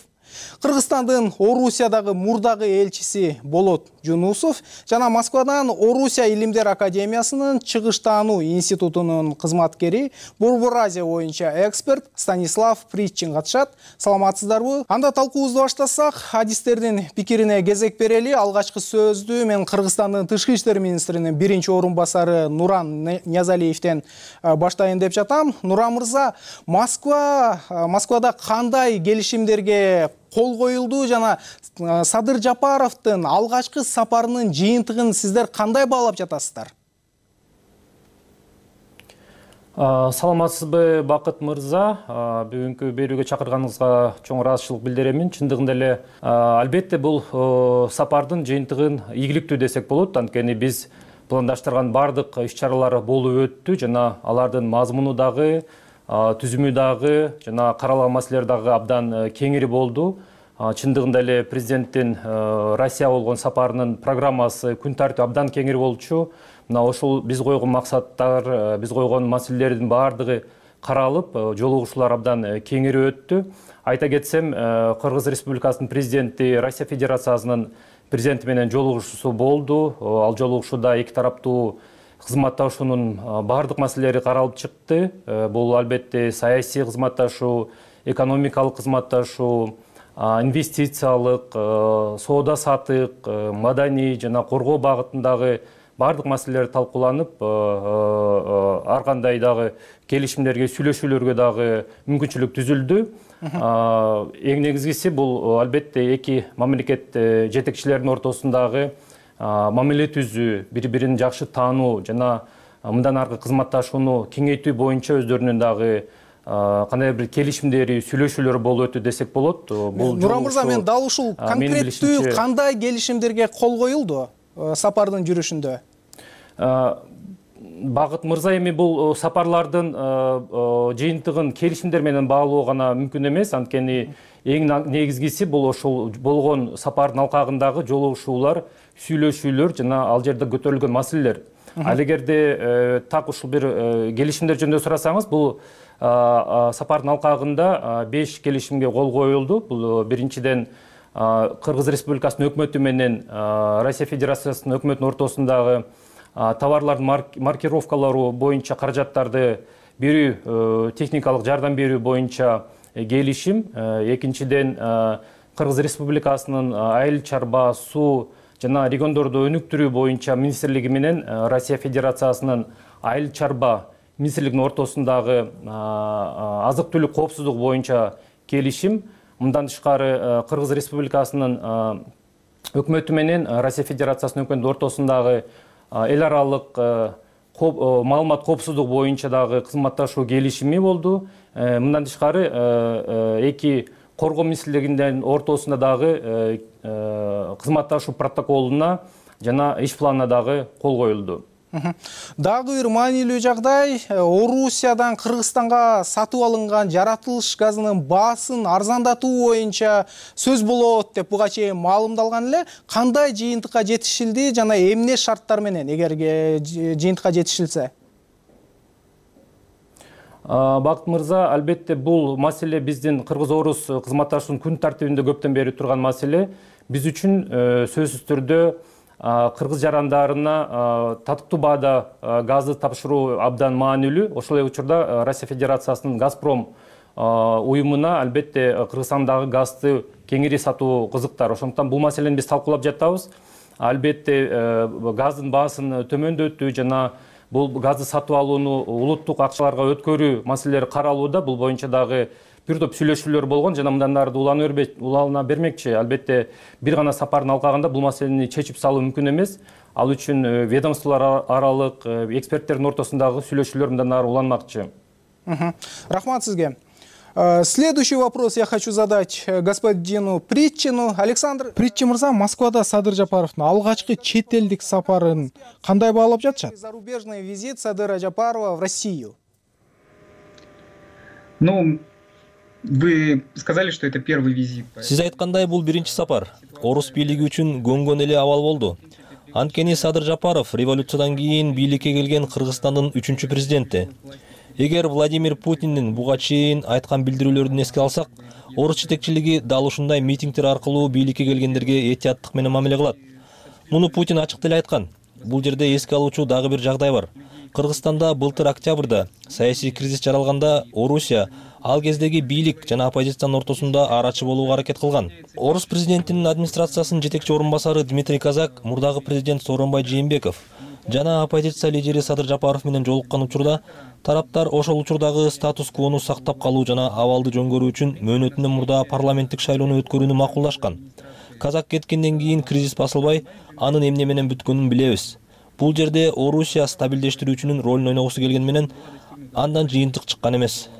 Кыргызстандын Орусиядагы мурдагы элчиси Болот Жунусов жана Москвадан Орусия Илимдер Академиясынын Чыгыштануу институтунун кызматкери, Борбор Азия боюнча эксперт Станислав Притчин катышат. Саламатсыздарбы? Анда талкуубузду баштасак, адистердин пикирине кезек берели. Алгачкы сөздү мен Кыргызстандын тышкы иштер министринин биринчи орун басары Нуран Ниязалиевден баштайын деп жатам. Нуран мырза, Москва Москвада кандай келишимдерге кол коюлду жана Садыр Жапаровдун алгачкы сапарынын жыйынтыгын сиздер кандай баалап жатасыздар? Саламатсызбы, Бакыт мырза? Бүгүнкү берүүгө чакырганыңызга чоң ыраазычылык билдирем. Чындыгында эле албетте бул сапардын жыйынтыгын ийгиликтүү десек болот. Анткени биз пландаштырган бардык иш-чаралар болуп өттү жана алардын мазмуну дагы, түзүмү дагы жана каралган маселелер дагы абдан кеңири болду. Чындыгында эле президенттин Россия болгон сапарынын программасы, күн тартиби абдан кеңири болчу. Мына ошол биз койгон максаттар, биз койгон маселелердин баардыгы каралып, жолугушуулар абдан кеңири өттү. Айта кетсем, Кыргыз Республикасынын президенти Россия Федерациясынын президенти менен жолугушуусу болду. Ал жолугушууда эки тараптуу кызматташуунун баардык маселелери каралып чыкты. Бул албетте саясий кызматташуу, экономикалык кызматташуу, инвестициялык, соода саттык, маданий жана коргоо багытындагы баардык маселелер талкууланып, ар кандай дагы келишимдерге, сүйлөшүүлөргө дагы мүмкүнчүлүк түзүлдү. Эң негизгиси бул албетте эки мамлекет жетекчилеринин ортосундагы мамиле түзүү, бири-бирин жакшы таануу жана мындан аркы кызматташууну кеңейтүү боюнча өздөрүнүн дагы кандай бир келишимдери, сүйлөшүүлөр болуп өттү десек болот. Нуран мырза, мен дал ушул конкреттүү кандай келишимдерге кол коюлду сапардын жүрүшүндө? Бакыт мырза, эми бул сапарлардын жыйынтыгын келишимдер менен баалоо гана мүмкүн эмес. Анткени эң негизгиси бул ошол болгон сапардын алкагындагы жолугушуулар, сүйлөшүүлөр жана ал жерде көтөрүлгөн маселелер. Ал эгерде так ушул бир келишимдер жөнүндө сурасаңыз, бул сапардын алкагында беш келишимге кол коюлду. Бул биринчиден Кыргыз Республикасынын өкмөтү менен Россия Федерациясынын өкмөтүнүн ортосундагы товарлардын маркировкалары боюнча каражаттарды берүү, техникалык жардам берүү боюнча келишим. Экинчиден Кыргыз Республикасынын айыл чарба, суу жана региондорду өнүктүрүү боюнча министрлиги менен Россия Федерациясынын айыл чарба министрлигинин ортосундагы азык-түлүк коопсуздугу боюнча келишим. Мындан тышкары Кыргыз Республикасынын өкмөтү менен Россия Федерациясынын өкмөтүнүн ортосундагы эл аралык маалымат коопсуздугу боюнча дагы кызматташуу келишими болду. Мындан тышкары эки коргоо министрлигинин ортосунда дагы кызматташуу протоколуна жана иш планына дагы кол коюлду. Дагы бир маанилүү жагдай, Орусиядан Кыргызстанга сатып алынган жаратылыш газынын баасын арзандатуу боюнча сөз болот деп буга чейин маалымдалган эле. Кандай жыйынтыкка жетишилди жана эмне шарттар менен эгерге жыйынтыкка жетишилсе? Бакыт мырза, албетте бул маселе биздин Кыргыз-Орус кызматташуунун күн тартибинде көптөн бери турган маселе. Биз үчүн сөзсүз түрдө Кыргыз жарандарына татыктуу баада газды тапшыруу абдан маанилүү. Ошол эле учурда Россия Федерациясынын Газпром уюмуна албетте Кыргызстандагы газды кеңири сатуу кызыктар. Ошондуктан бул маселени биз талкуулап жатабыз. Албетте газдын баасын төмөндөтүү жана бул газды сатып алууну улуттук акчаларга өткөрүү маселелери каралууда. Бул боюнча дагы бир топ сүйлөшүүлөр болгон жана мындан ары улана бермекчи. Албетте бир гана сапардын алкагында бул маселени чечип салуу мүмкүн эмес. Ал үчүн ведомстволор аралык эксперттердин ортосундагы сүйлөшүүлөр мындан ары уланмакчы. Рахмат сизге. Следующий вопрос я хочу задать господину Притчину. Александр Притчин мырза, Москвада Садыр Жапаровдун алгачкы чет элдик сапарын кандай баалап жатышат? Зарубежный визит Садыра Жапарова в Россию. Ну, вы сказали, что это первый визит. Сиз айткандай, бул биринчи сапар. Орус бийлиги үчүн көңгөн эле абал болду. Анткени Садыр Жапаров революциядан кийин бийликке келген Кыргызстандын үчүнчү президенти. Эгер Владимир Путиндин буга чейин айткан билдирүүлөрүн эске алсак, орус жетекчилиги дал ушундай митингдер аркылуу бийликке келгендерге этияттык менен мамиле кылат. Муну Путин ачык деле айткан. Бул жерде эске алуучу дагы бир жагдай бар. Кыргызстанда былтыр октябрда саясий кризис жаралганда Орусия ал кездеги бийлик жана оппозициянын ортосунда арачы болууга аракет кылган. Орус президентинин администрациясынын жетекчи орун басары Дмитрий Казак, мурдагы президент Сооронбай Жээнбеков жана оппозиция лидери Садыр Жапаров менен жолуккан учурда тараптар ошол учурдагы статус-квону сактап калуу жана абалды жөнгөрүү үчүн мөөнөтүнөн мурда парламенттик шайлоону өткөрүүнү макулдашкан. Казак кеткенден кийин кризис басылбай, анын эмне менен бүткөнүн билебиз. Бул жерде Орусия стабилдештирүүчүнүн ролун ойногусу келген менен андан жыйынтык чыккан эмес.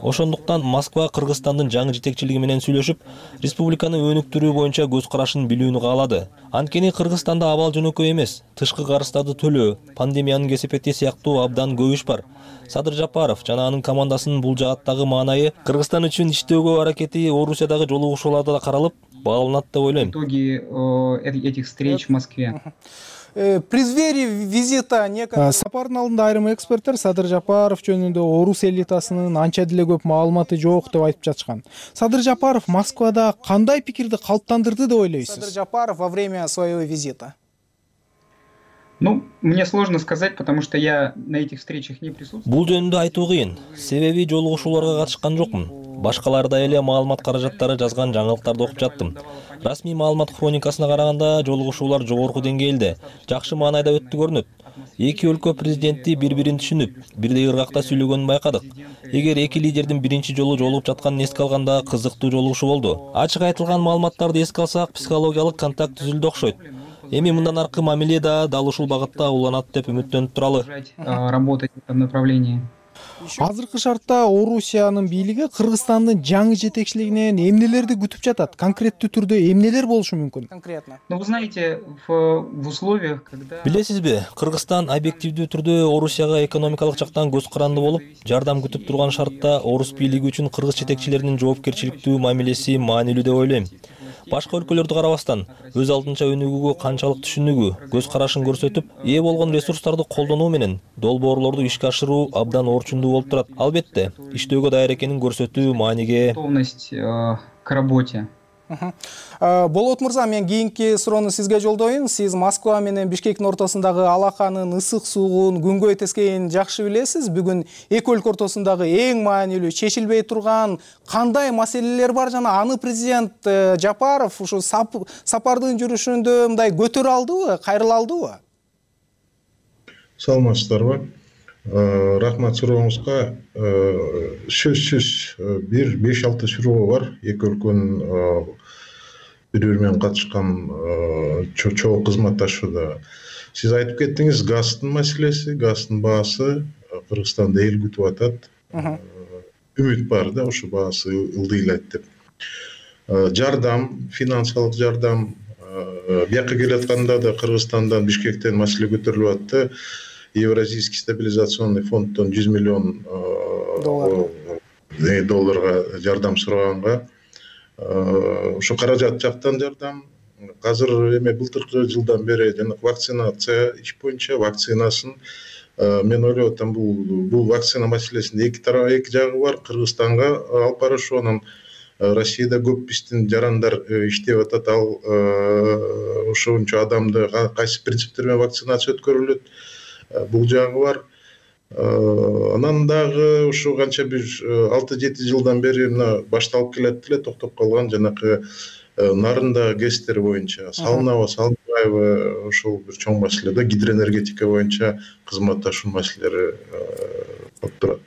Ошондуктан Москва Кыргызстандын жаңы жетекчилиги менен сүйлөшүп, республиканы өнүктүрүү боюнча көз карашын билүүнү каалады. Анткени Кыргызстанда абал жөнөкөй эмес, тышкы карыздарды төлөө, пандемиянын кесепети сыяктуу абдан көп иш бар. Садыр Жапаров жана анын командасынын бул жааттагы маанайы Кыргызстан үчүн иштөөгө аракети Орусиядагы жолугушууларда да каралып, бааланат деп ойлойм. Итоги этих встреч в Москве. В преддверии визита сапардын алдында айрым эксперттер Садыр Жапаров жөнүндө орус элитасынын анча деле көп маалыматы жок деп айтып жатышкан. Садыр Жапаров Москвада кандай пикирди калыптандырды деп ойлойсуз? Садыр Жапаров во время своего визита. Ну, мне сложно сказать, потому что я на этих встречах не присутствовал. Бул жөнүндө айтуу кыйын. Себеби жолугушууларга катышкан жокмун. Башкалардай эле маалымат каражаттары жазган жаңылыктарды окуп жаттым. Расмий маалымат хроникасына караганда жолугушуулар жогорку деңгээлде, жакшы маанайда өттү көрүнөт. Эки өлкө президенти бири-бирин түшүнүп, бирдей ыргакта сүйлөгөнүн байкадык. Эгер эки лидердин биринчи жолу жолугуп жатканын эске алганда кызыктуу жолугушуу болду. Ачык айтылган маалыматтарды эске алсак, психологиялык контакт түзүлдү окшойт. Эми мындан аркы мамиле да дал ушул багытта уланат деп үмүттөнүп туралы. Работать в этом направлении. Азыркы шартта Орусиянын бийлиги Кыргызстандын жаңы жетекчилигинен эмнелерди күтүп жатат? Конкреттүү түрдө эмнелер болушу мүмкүн? Конкретно. Ну, вы знаете, в, в условиях, когда... Билесизби, Кыргызстан объективдүү түрдө Орусияга экономикалык жактан көз каранды болуп, жардам күтүп турган шартта орус бийлиги үчүн кыргыз жетекчилеринин жоопкерчиликтүү мамилеси маанилүү деп ойлойм. Башка өлкөлөрдү карабастан, өз алдынча өнүгүүгө канчалык түшүнүгү, көз карашын көрсөтүп, ээ болгон ресурстарды колдонуу менен долбоорлорду ишке ашыруу абдан орчундуу болуп турат. Албетте, иштөөгө даяр экенин көрсөтүү мааниге. Готовность к работе. Болот мырза, мен кийинки суроону сизге жолдоюн. Сиз Москва менен Бишкектин ортосундагы алаканын ысык суугун, күнгөй тескейин жакшы билесиз. Бүгүн эки өлкө ортосундагы эң маанилүү чечилбей турган кандай маселелер бар жана аны президент Жапаров ушу сапардын жүрүшүндө мындай көтөрө алдыбы, кайрыла алдыбы? Саламатсыздарбы? Рахмат сурооңузга. Сөзсүз бир беш алты суроо бар. Эки өлкөнүн бири-бири менен катышкан чоң кызматташууда. Сиз айтып кеттиңиз, газдын маселеси, газдын баасы Кыргызстанда эл күтүп атат. Үмүт бар да, ошо баасы ылдыйлайт деп. Жардам, финансылык жардам, бияка келатканда да Кыргызстандан, Бишкектен маселе көтөрүлүп атты. Евразийский стабилизационный фонддон жүз миллион долларга жардам сураганга, ошо каражат жактан жардам. Азыр эме былтыркы жылдан бери жана вакцинация иш боюнча вакцинасын мен ойлоп атам, бул бул вакцина маселесинде эки тарап, эки жагы бар. Кыргызстанга алып барышы, анан Россияда көп биздин жарандар иштеп атат. Ал ошончо адамды кайсы принциптер менен вакцинация өткөрүлөт, бул жагы бар. Анан дагы ушу канча бир алты жети жылдан бери мына башталып келет эле, токтоп калган жанакы нарында гэстер боюнча салынабы, салынбайбы, ошол бир чоң маселе да, гидроэнергетика боюнча кызматташуу маселелери болуп турат.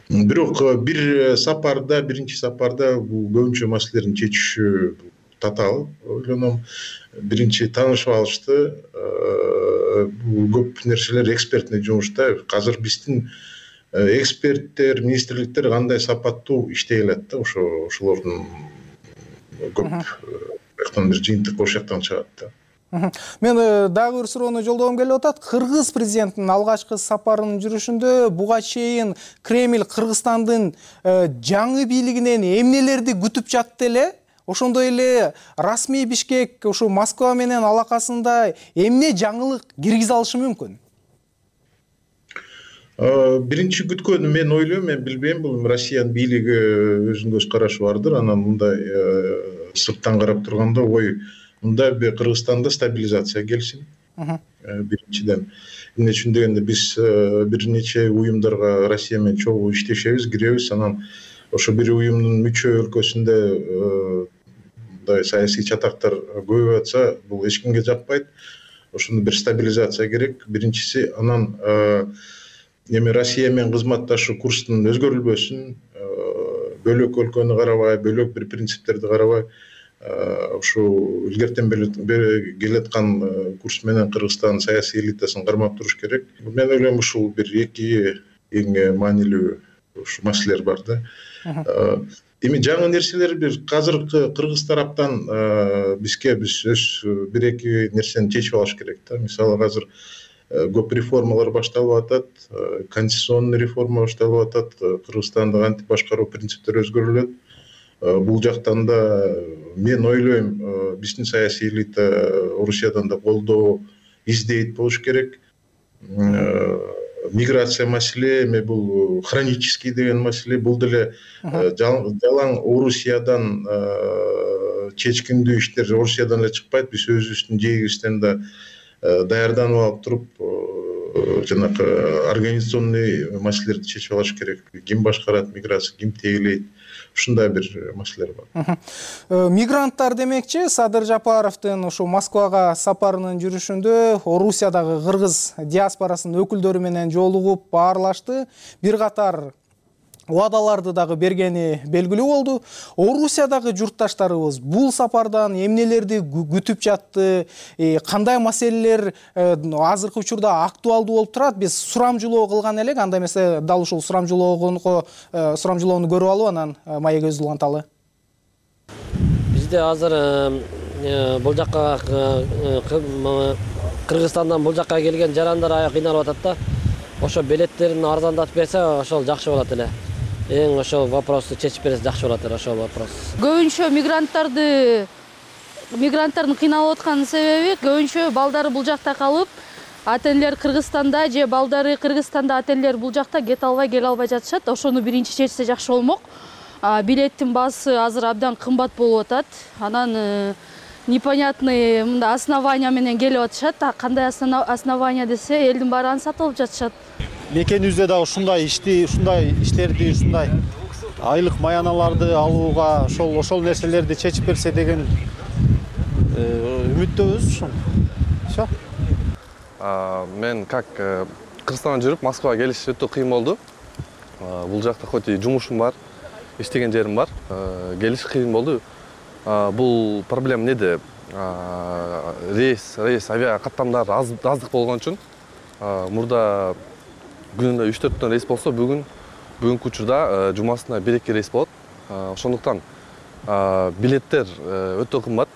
Бирок бир сапарда, биринчи сапарда бул көбүнчө маселелерин чечишүү татаал ойлоном. Биринчи таанышып алышты. Бул көп нерселер экспертный жумушта. Азыр биздин эксперттер, министрликтер кандай сапаттуу иштей алат да, ошо ошолордун көп жактан бир жыйынтык ошол жактан чыгат да. Мен дагы бир суроону жолдогум келип атат. Кыргыз президентинин алгачкы сапарынын жүрүшүндө буга чейин Кремль Кыргызстандын жаңы бийлигинен эмнелерди күтүп жатты эле? Ошондой эле расмий Бишкек ушу Москва менен алакасында эмне жаңылык киргизе алышы мүмкүн? Биринчи күткөнү мен ойлойм, мен билбейм, бул Россиянын бийлиги өзүнүн көз карашы бардыр. Анан мындай сырттан карап турганда ой, мында Кыргызстанда стабилизация келсин. Биринчиден, эмне үчүн дегенде биз бир нече уюмдарга Россия менен чогуу иштешебиз, киребиз. Анан ошо бир уюмдун мүчө өлкөсүндө мындай саясий чатактар көбөйүп атса, бул эч кимге жакпайт. Ошондо бир стабилизация керек. Биринчиси, анан эми Россия менен кызматташуу курстун өзгөрүлбөсүн, бөлөк өлкөнү карабай, бөлөк бир принциптерди карабай, ушу илгертен бери келаткан курс менен Кыргызстан саясий элитасын кармап туруш керек. Мен ойлойм, ушул бир эки эң маанилүү ушу маселелер бар да. Эми жаңы нерселер бир азыркы Кыргыз тараптан бизге биз өз бир эки нерсени чечип алыш керек да. Мисалы азыр көп реформалар башталып атат, конституционный реформа башталып атат, Кыргызстанда кантип башкаруу принциптери өзгөрүлөт. Бул жактан да мен ойлойм, биздин саясий элита Орусиядан да колдоо издейт болуш керек. Миграция маселе, эми бул хронический деген маселе, бул деле жалаң Орусиядан чечкиндүү иштер Орусиядан эле чыкпайт. Биз өзүбүздүн жегибизден да даярданып алып туруп, жанакы организационный маселелерди чечип алыш керек. Ким башкарат миграция, ким тегелейт, ушундай бир маселелер бар. Мигранттар демекчи, Садыр Жапаровдун ушу Москвага сапарынын жүрүшүндө Орусиядагы кыргыз диаспорасынын өкүлдөрү менен жолугуп баарлашты. Бир катар убадаларды дагы бергени белгилүү болду. Орусиядагы журтташтарыбыз бул сапардан эмнелерди күтүп жатты, кандай маселелер азыркы учурда актуалдуу болуп турат? Биз сурамжылоо кылган элек, анда эмесе дал ушул сурамжылоого сурамжылоону көрүп алып, анан маегибизди уланталы. Бизде азыр бул жакка Кыргызстандан бул жакка келген жарандар аябай кыйналып атат да. Ошо билеттерин арзандатып берсе, ошол жакшы болот эле. Эң ошол вопросту чечип берсе жакшы болот эле, ошол вопрос. Көбүнчө мигранттарды мигранттардын кыйналып аткан себеби көбүнчө балдары бул жакта калып, ата-энелер Кыргызстанда же балдары Кыргызстанда, ата-энелер бул жакта кете албай, келе албай жатышат. Ошону биринчи чечсе жакшы болмок. Билеттин баасы азыр абдан кымбат болуп атат. Анан непонятный мында основания менен келип атышат. Кандай основания десе, элдин баары аны сатып алып жатышат. Мекенибизде да ушундай ишти, ушундай иштерди, ушундай айлык маяналарды алууга ошол ошол нерселерди чечип берсе деген үмүттөбүз. Всё. Мен как Кыргызстандан жүрүп Москвага келиш өтө кыйын болду. Бул жакта хоть и жумушум бар, иштеген жерим бар, келиш кыйын болду. Бул проблема неде? Рейс, рейс авиа каттамдары аздык болгон үчүн мурда күнүнө үч төрттөн рейс болсо, бүгүн бүгүнкү учурда жумасына бир эки рейс болот. Ошондуктан билеттер өтө кымбат,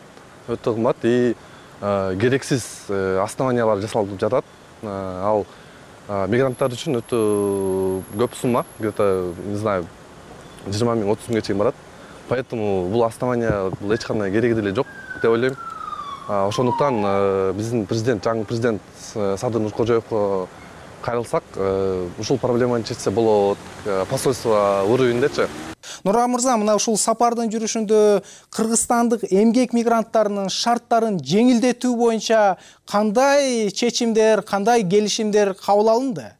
өтө кымбат и керексиз основаниялар жасалып жатат. Ал мигранттар үчүн өтө көп сумма, где-то, не знаю, жыйырма миң отуз миңге чейин барат. Поэтому бул основания бул эч кандай кереги деле жок деп ойлойм. Ошондуктан биздин президент, жаңы президент Садыр Нуркожоевго кайрылсак, ушул проблеманы чечсе болот, посольство уровендечи. Нуран мырза, мына ушул сапардын жүрүшүндө кыргызстандык эмгек мигранттарынын шарттарын жеңилдетүү боюнча кандай чечимдер, кандай келишимдер кабыл алынды?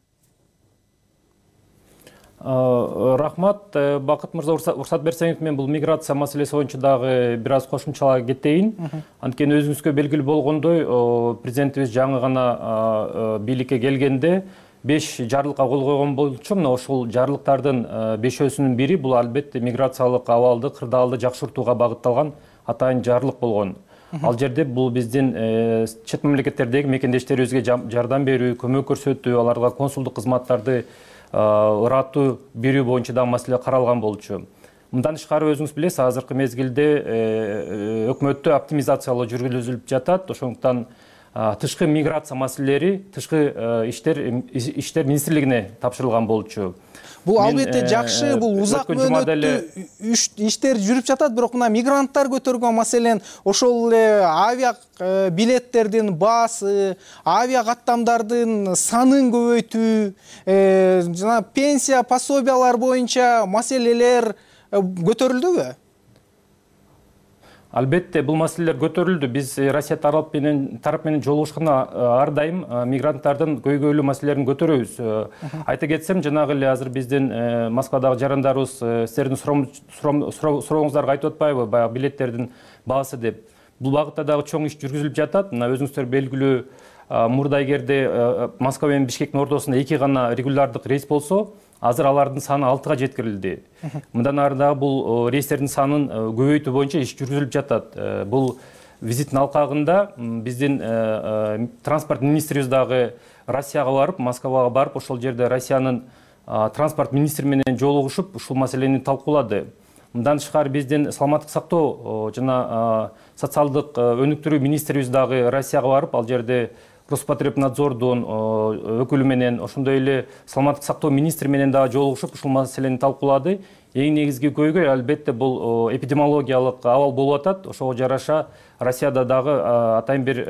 Рахмат, Бакыт мырза, уруксат берсеңиз, мен бул миграция маселеси боюнча дагы бир аз кошумчалап кетейин. Анткени өзүңүзгө белгилүү болгондой, президентибиз жаңы гана бийликке келгенде беш жарлыкка кол койгон болчу. Мына ошол жарлыктардын бешөөсүнүн бири бул албетте миграциялык абалды, кырдаалды жакшыртууга багытталган атайын жарлык болгон. Ал жерде бул биздин чет мамлекеттердеги мекендештерибизге жардам берүү, көмөк көрсөтүү, аларга консулдук кызматтарды ыраттуу берүү боюнча дагы маселе каралган болчу. Мындан тышкары өзүңүз билесиз, азыркы мезгилде өкмөттө оптимизациялоо жүргүзүлүп жатат. Ошондуктан тышкы миграция маселелери тышкы иштер иштер министрлигине тапшырылган болчу. Бул албетте жакшы, бул узак мөөнөттүү иштер жүрүп жатат, бирок мына мигранттар көтөргөн маселен ошол эле авиа билеттердин баасы, авиа каттамдардын санын көбөйтүү, жана пенсия пособиялар боюнча маселелер көтөрүлдүбү? Албетте, бул маселелер көтөрүлдү. Биз Россия тарап менен тарап менен жолугушканда ар дайым мигранттардын көйгөйлүү маселелерин көтөрөбүз. Айта кетсем, жанагы эле азыр биздин Москвадагы жарандарыбыз силердин сурооңуздарга айтып атпайбы, баягы билеттердин баасы деп. Бул багытта дагы чоң иш жүргүзүлүп жатат. Мына өзүңүздөр белгилүү, мурда эгерде Москва менен Бишкектин ортосунда эки гана регулярдык рейс болсо, азыр алардын саны алтыга жеткирилди. Мындан ары дагы бул рейстердин санын көбөйтүү боюнча иш жүргүзүлүп жатат. Бул визиттин алкагында биздин транспорт министрибиз дагы Россияга барып, Москвага барып, ошол жерде Россиянын транспорт министри менен жолугушуп, ушул маселени талкуулады. Мындан тышкары биздин саламаттык сактоо жана социалдык өнүктүрүү министрибиз дагы Россияга барып, ал жерде Роспотребнадзордун өкүлү менен, ошондой эле саламаттык сактоо министри менен дагы жолугушуп, ушул маселени талкуулады. Эң негизги көйгөй албетте бул эпидемиологиялык абал болуп атат. Ошого жараша Россияда дагы атайын бир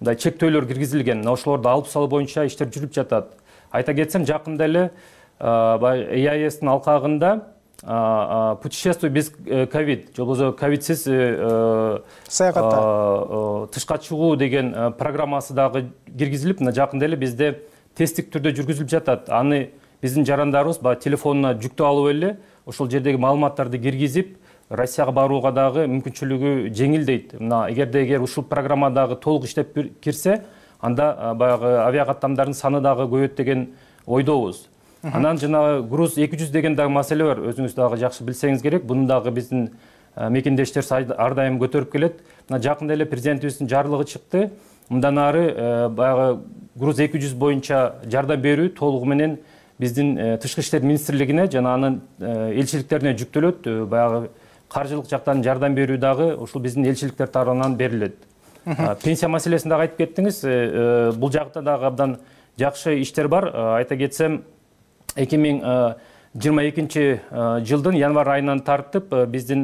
мындай чектөөлөр киргизилген. Ошолорду алып салуу боюнча иштер жүрүп жатат. Айта кетсем, жакында эле и а эстин алкагында путешествие без ковид, же болбосо ковидсиз саякатта тышка чыгуу деген программасы дагы киргизилип, мына жакында эле бизде тесттик түрдө жүргүзүлүп жатат. Аны биздин жарандарыбыз баягы телефонуна жүктөп алып эле ошол жердеги маалыматтарды киргизип, Россияга барууга дагы мүмкүнчүлүгү жеңилдейт. Мына эгерде эгер ушул программа дагы толук иштеп кирсе, анда баягы авиакаттамдардын саны дагы көбөйөт деген ойдобуз. Анан жана груз эки жүз деген дагы маселе бар. Өзүңүз дагы жакшы билсеңиз керек. Буну дагы биздин мекендештер ар дайым көтөрүп келет. Мына жакында эле президентибиздин жарлыгы чыкты. Мындан ары баягы груз эки жүз боюнча жардам берүү толугу менен биздин тышкы иштер министрлигине жана анын элчиликтерине жүктөлөт. Баягы каржылык жактан жардам берүү дагы ушул биздин элчиликтер тарабынан берилет. Пенсия маселесин дагы айтып кеттиңиз. Бул жакта дагы абдан жакшы иштер бар. Айта кетсем, эки миң жыйырма экинчи жылдын январь айынан тартып биздин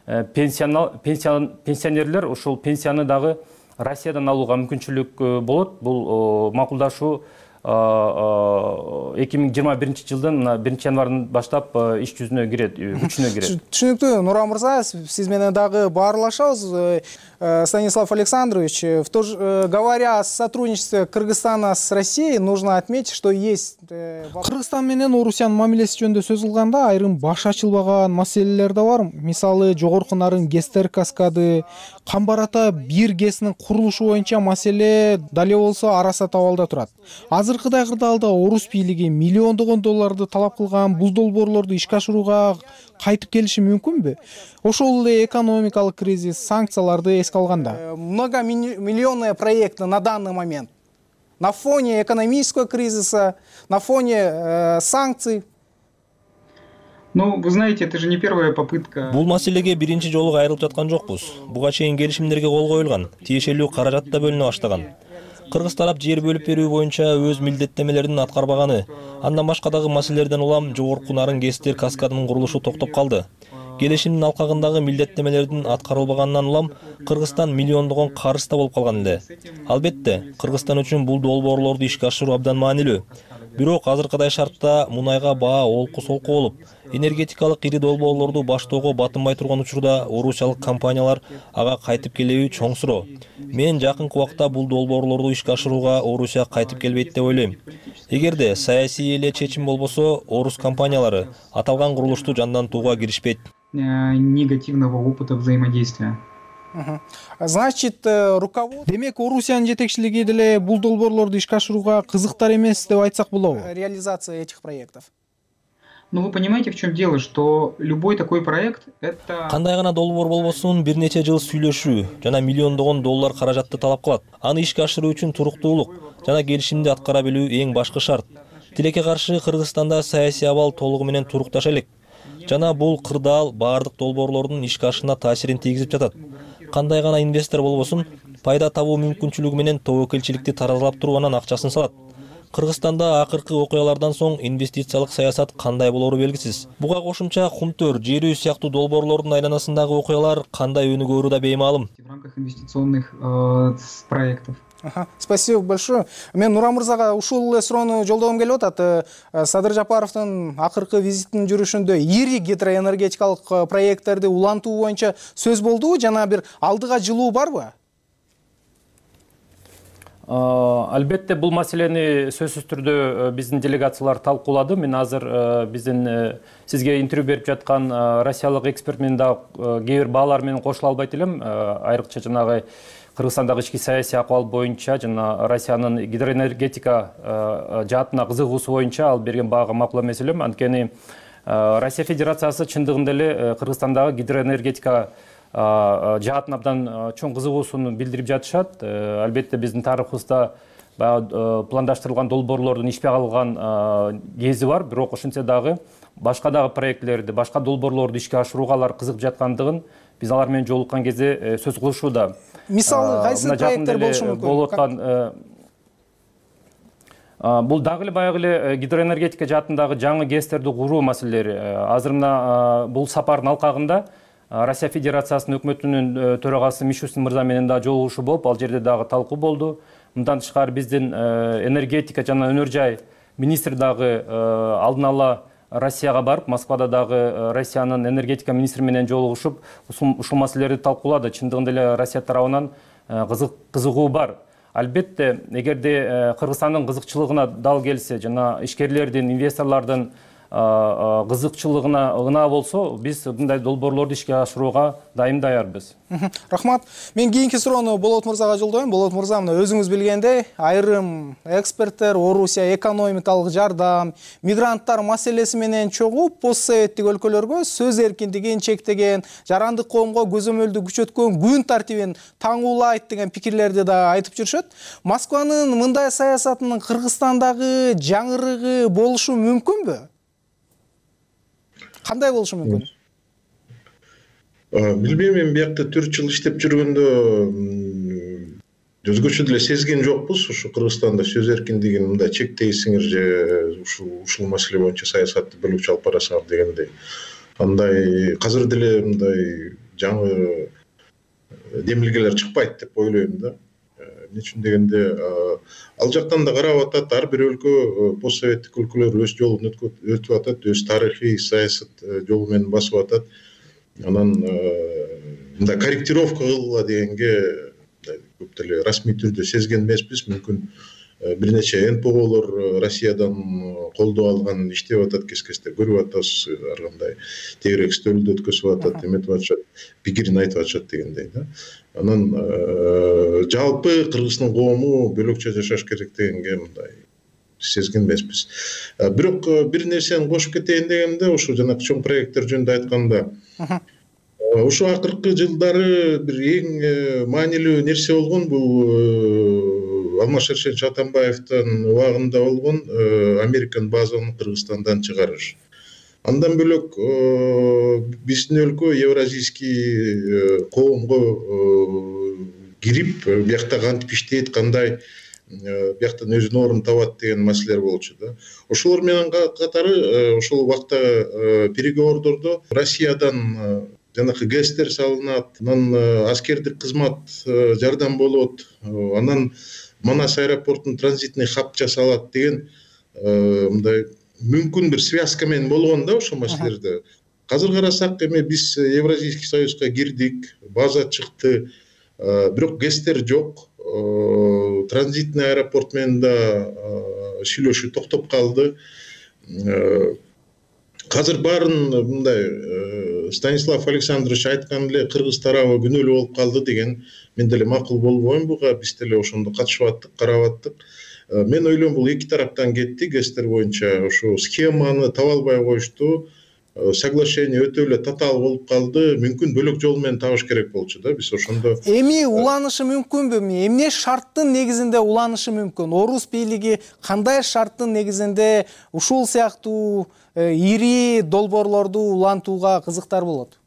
пенсионерлер ушул пенсияны дагы Россиядан алууга мүмкүнчүлүк болот. Бул макулдашуу эки миң жыйырма биринчи жылдын биринчи январынан баштап иш жүзүнө кирет, күчүнө кирет. Түшүнүктүү, Нуран мырза, сиз менен дагы баарлашабыз. Станислав Александрович, говоря о сотрудничестве Кыргызстана с Россией, нужно отметить, что есть... Кыргызстан менен Орусиянын мамилеси жөнүндө сөз кылганда айрым баш ачылбаган маселелер да бар. Мисалы, жогорку нарын ГЭСтер каскады, Камбар ата бир ГЭСинин курулушу боюнча маселе дале болсо араса табалда турат. Азыркыдай кырдаалда Орус бийлиги миллиондогон долларды талап кылган бул долбоорлорду ишке ашырууга кайтып келиши мүмкүнбү? Ошол эле экономикалык кризис, санкцияларды эске алганда. Многомиллионные проекты на данный момент. На фоне экономического кризиса, на фоне э, санкций. Ну, вы знаете, это же не первая попытка. Бул маселеге биринчи жолу кайрылып жаткан жокпуз. Буга чейин келишимдерге кол коюлган, тиешелүү каражат да бөлүнө баштаган. Кыргыз тарап жер бөлүп берүү боюнча өз милдеттемелерин аткарбаганы, андан башка дагы маселелерден улам жогорку нарын ГЭСтер каскадынын курулушу токтоп калды. Келишимдин алкагындагы милдеттемелердин аткарылбаганынан улам Кыргызстан миллиондогон карызда болуп калган эле. Албетте, Кыргызстан үчүн бул долбоорлорду ишке ашыруу абдан маанилүү. Бирок азыркыдай шартта мунайга баа олку-солку болуп, энергетикалык ири долбоорлорду баштоого батынбай турган учурда орусиялык компаниялар ага кайтып келеби чоң суроо. Мен жакынкы убакта бул долбоорлорду ишке ашырууга Орусия кайтып келбейт деп ойлойм. Эгерде саясий эле чечим болбосо, орус компаниялары аталган курулушту жандантууга киришпейт. Негативного опыта взаимодействия. Значит, руководство... Демек, Орусиянын жетекчилиги деле бул долбоорлорду ишке ашырууга кызыктар эмес деп айтсак болобу? Реализация этих проектов. Ну, вы понимаете, в чем дело, что любой такой проект — это... Кандай гана долбоор болбосун, бир нече жыл сүйлөшүү жана миллиондогон доллар каражатты талап кылат. Аны ишке ашыруу үчүн туруктуулук жана келишимди аткара билүү эң башкы шарт. Тилекке каршы Кыргызстанда саясий абал толугу менен турукташа элек жана бул кырдаал баардык долбоорлордун ишке ашышына таасирин тийгизип жатат. Кандай гана инвестор болбосун, пайда табуу мүмкүнчүлүгү менен тобокелчиликти таразалап туруп анан акчасын салат. Кыргызстанда акыркы окуялардан соң инвестициялык саясат кандай болору белгисиз. Буга кошумча Кумтөр, Жер үй сыяктуу долбоорлордун айланасындагы окуялар кандай өнүгөөрү да беймаалым. В рамках инвестиционных э, проектов. Ага, спасибо большое. Мен Нуран мырзага ушул эле суроону жолдогум келип атат. Садыр Жапаровдун акыркы визитинин жүрүшүндө ири гидроэнергетикалык проекттерди улантуу боюнча сөз болдубу жана бир алдыга жылуу барбы? Албетте бул маселени сөзсүз түрдө биздин делегациялар талкуулады. Мен азыр биздин сизге интервью берип жаткан россиялык эксперт менен да кээ бир баалар менен кошула албайт элем. Айрыкча жанагы Кыргызстандагы ички саясий акыбал боюнча жана Россиянын гидроэнергетика жаатына кызыгуусу боюнча ал берген баага макул эмес элем. Анткени Россия Федерациясы чындыгында эле Кыргызстандагы гидроэнергетика жаатын абдан чоң кызыгуусун билдирип жатышат. Албетте биздин тарыхыбызда пландаштырылган долбоорлордун ишке алынган кези бар, бирок ошентсе дагы башка дагы проектлерди, башка долбоорлорду ишке ашырууга алар кызыгып жаткандыгын биз алар менен жолуккан кезде сөз кылышууда. Мисалы кайсы проекттер болушу мүмкүн? Болуп аткан бул дагы эле баягы эле гидроэнергетика жаатындагы жаңы ГЭСтерди куруу маселелери. Азыр мына бул сапардын алкагында Россия Федерациясынын өкмөтүнүн төрагасы Мишустин мырза менен да жолугушуу болуп, ал жерде дагы талкуу болду. Мындан тышкары биздин энергетика жана өнөр жай министри дагы алдын ала Россияга барып, Москвада дагы Россиянын энергетика министри менен жолугушуп, ушул маселелерди талкуулады. Чындыгында эле Россия тарабынан кызыгуу бар. Албетте, эгерде Кыргызстандын кызыкчылыгына дал келсе, жана ишкерлердин, инвесторлордун кызыкчылыгына ынаа болсо, биз мындай долбоорлорду ишке ашырууга дайым даярбыз. Рахмат. Мен кийинки суроону Болот мырзага жолдойм. Болот мырза, мына өзүңүз билгендей, айрым эксперттер Орусия экономикалык жардам, мигранттар маселеси менен чогуу постсоветтик өлкөлөргө сөз эркиндигин чектеген, жарандык коомго көзөмөлдү күчөткөн күн тартибин таңуулайт деген пикирлерди да айтып жүрүшөт. Москванын мындай саясатынын Кыргызстандагы жаңырыгы болушу мүмкүнбү? Кандай болушу мүмкүн? Билбейм, мен биякта төрт жыл иштеп жүргөндө өзгөчө деле сезген жокпуз. Ушу Кыргызстанда сөз эркиндигин мындай чектейсиңер же ушул ушул маселе боюнча саясатты бөлүкчү алып барасыңар дегендей. Андай казыр деле мындай жаңы демилгелер чыкпайт деп ойлойм да. Эмне үчүн дегенде, ал жактан да карап атат, ар бир өлкө, постсоветтик өлкөлөр өз жолун өтүп атат, өз тарыхый саясат жолу менен басып атат. Анан мындай корректировка кылгыла дегенге көп деле расмий түрдө сезген эмеспиз. Мүмкүн бир нече эн пэ о'лор Россиядан колдоо алган, иштеп атат, кес-кесте көрүп атабыз, ар кандай тегерек стөлдү өткөзүп атат, эметип атышат, пикирин айтып атышат дегендей да. Анан жалпы Кыргыздын коому бөлөкчө жашаш керек дегенге мындай сезген эмеспиз. Бирок бир нерсени кошуп кетейин дегенде, ушу жанагы чоң проекттер жөнүндө айтканда, ушу акыркы жылдары бир эң маанилүү нерсе болгон бул Алмаз-Шаршенович Атамбаевдин убагында болгон Американ базаны Кыргызстандан чыгарыш. Андан бөлөк биздин өлкө евразийский коомго кирип, биякта кантип иштейт, кандай бияктан өзүнүн ордун табат деген маселелер болчу да. Ошолор менен катары ошол убакта переговордордо Россиядан жанакы ГЭСтер салынат, анан аскердик кызмат жардам болот, анан Манас аэропортунун транзитный хаб жасалат деген мындай мүмкүн бир связка менен болгон да ошол маселелерде. Азыр карасак, эми биз Евразийский союзга кирдик, база чыкты, бирок ГЭСтер жок. Транзитный аэропорт менен да сүйлөшүү токтоп калды. Азыр баарын мындай Станислав Александрович айткан эле кыргыз тарабы күнөөлүү болуп калды деген мен деле макул болбойм буга. Биз деле ошондо катышып аттык, карап аттык. Мен ойлойм, бул эки тараптан кетти ГЭСтер боюнча. Ошо схеманы таба албай коюшту. соглашение өтө эле татаал болуп калды. Мүмкүн бөлөк жол менен табыш керек болчу да. Биз ошондо эми уланышы мүмкүнбү? Эмне шарттын негизинде уланышы мүмкүн? Орус бийлиги кандай шарттын негизинде ушул сыяктуу ири долбоорлорду улантууга кызыктар болот?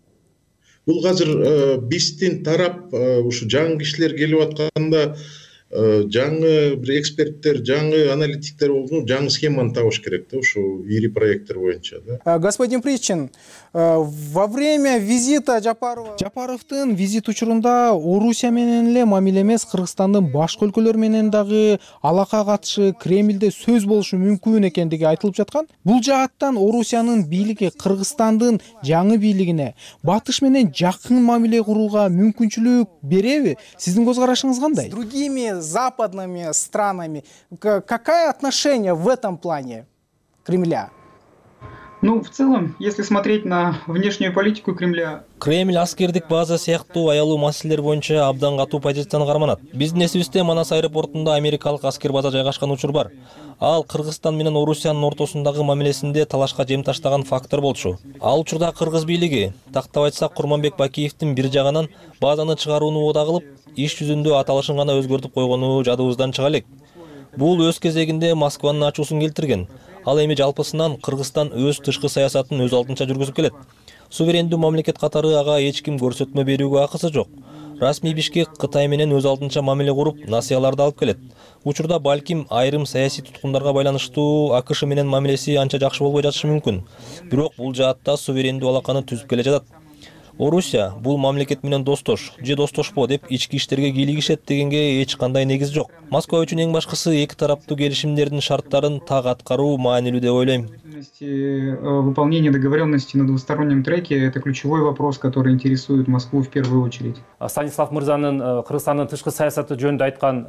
Бул азыр биздин тарап ушу жаңы кишилер келип атканда жаңы бир эксперттер, жаңы аналитиктер болду, жаңы схеманы табыш керек да, ушу ири проекттер боюнча да. Господин Причин, во время визита Жапарова Жапаровдун визит учурунда Орусия менен эле мамиле эмес, Кыргызстандын башка өлкөлөр менен дагы алака катышы, Кремлде сөз болушу мүмкүн экендиги айтылып жаткан. Бул жааттан Орусиянын бийлиги Кыргызстандын жаңы бийлигине батыш менен жакын мамиле курууга мүмкүнчүлүк береби? Сиздин көз карашыңыз кандай? С другими западными странами какое отношение в этом плане Кремля? Ну, в целом, если смотреть на внешнюю политику Кремля... Кремль аскердик база сыяктуу аялуу маселелер боюнча абдан катуу позицияны карманат. Биздин эсибизде Манас аэропортунда америкалык аскер база жайгашкан учур бар. Ал Кыргызстан менен Орусиянын ортосундагы мамилесинде талашка жем таштаган фактор болчу. Ал учурда Кыргыз бийлиги, тактап айтсак, Курманбек Бакиевдин бир жагынан базаны чыгарууну убада кылып, иш жүзүндө аталышын гана өзгөртүп койгону жадыбыздан чыга элек. Бул өз кезегинде Москванын ачуусун келтирген. Ал эми жалпысынан Кыргызстан өз тышкы саясатын өз алдынча жүргүзүп келет. Суверендүү мамлекет катары ага эч ким көрсөтмө берүүгө акысы жок. Расмий Бишкек Кытай менен өз алдынча мамиле куруп, насыяларды алып келет. Учурда балким айрым саясий туткундарга байланыштуу АКШ менен мамилеси анча жакшы болбой жатышы мүмкүн. Бирок бул жаатта суверендүү алаканы түзүп келе жатат. Орусия бул мамлекет менен достош, же достошпо деп ички иштерге кийлигишет дегенге эч кандай негиз жок. Москва үчүн эң башкысы эки тараптуу келишимдердин шарттарын так аткаруу маанилүү деп ойлойм. Выполнение договоренности на двустороннем треке – это ключевой вопрос, который интересует Москву в первую очередь. Станислав Мырзанын Кыргызстандын тышкы саясаты жөнүндө айткан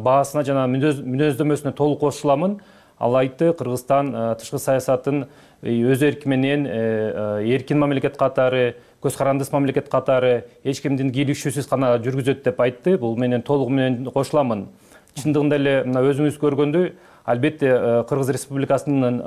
баасына жана мүнөздөмөсүнө толук кошуламын. Ал айтты, Кыргызстан тышкы саясатын өз эрки менен эркин мамлекет катары, көз карандыс мамлекет катары, эч кимдин кийлигишүүсүз гана жүргүзөт деп айтты. Бул менен толугу менен кошуламын. Чындыгында эле өзүңүз көргөндөй, албетте Кыргыз Республикасынын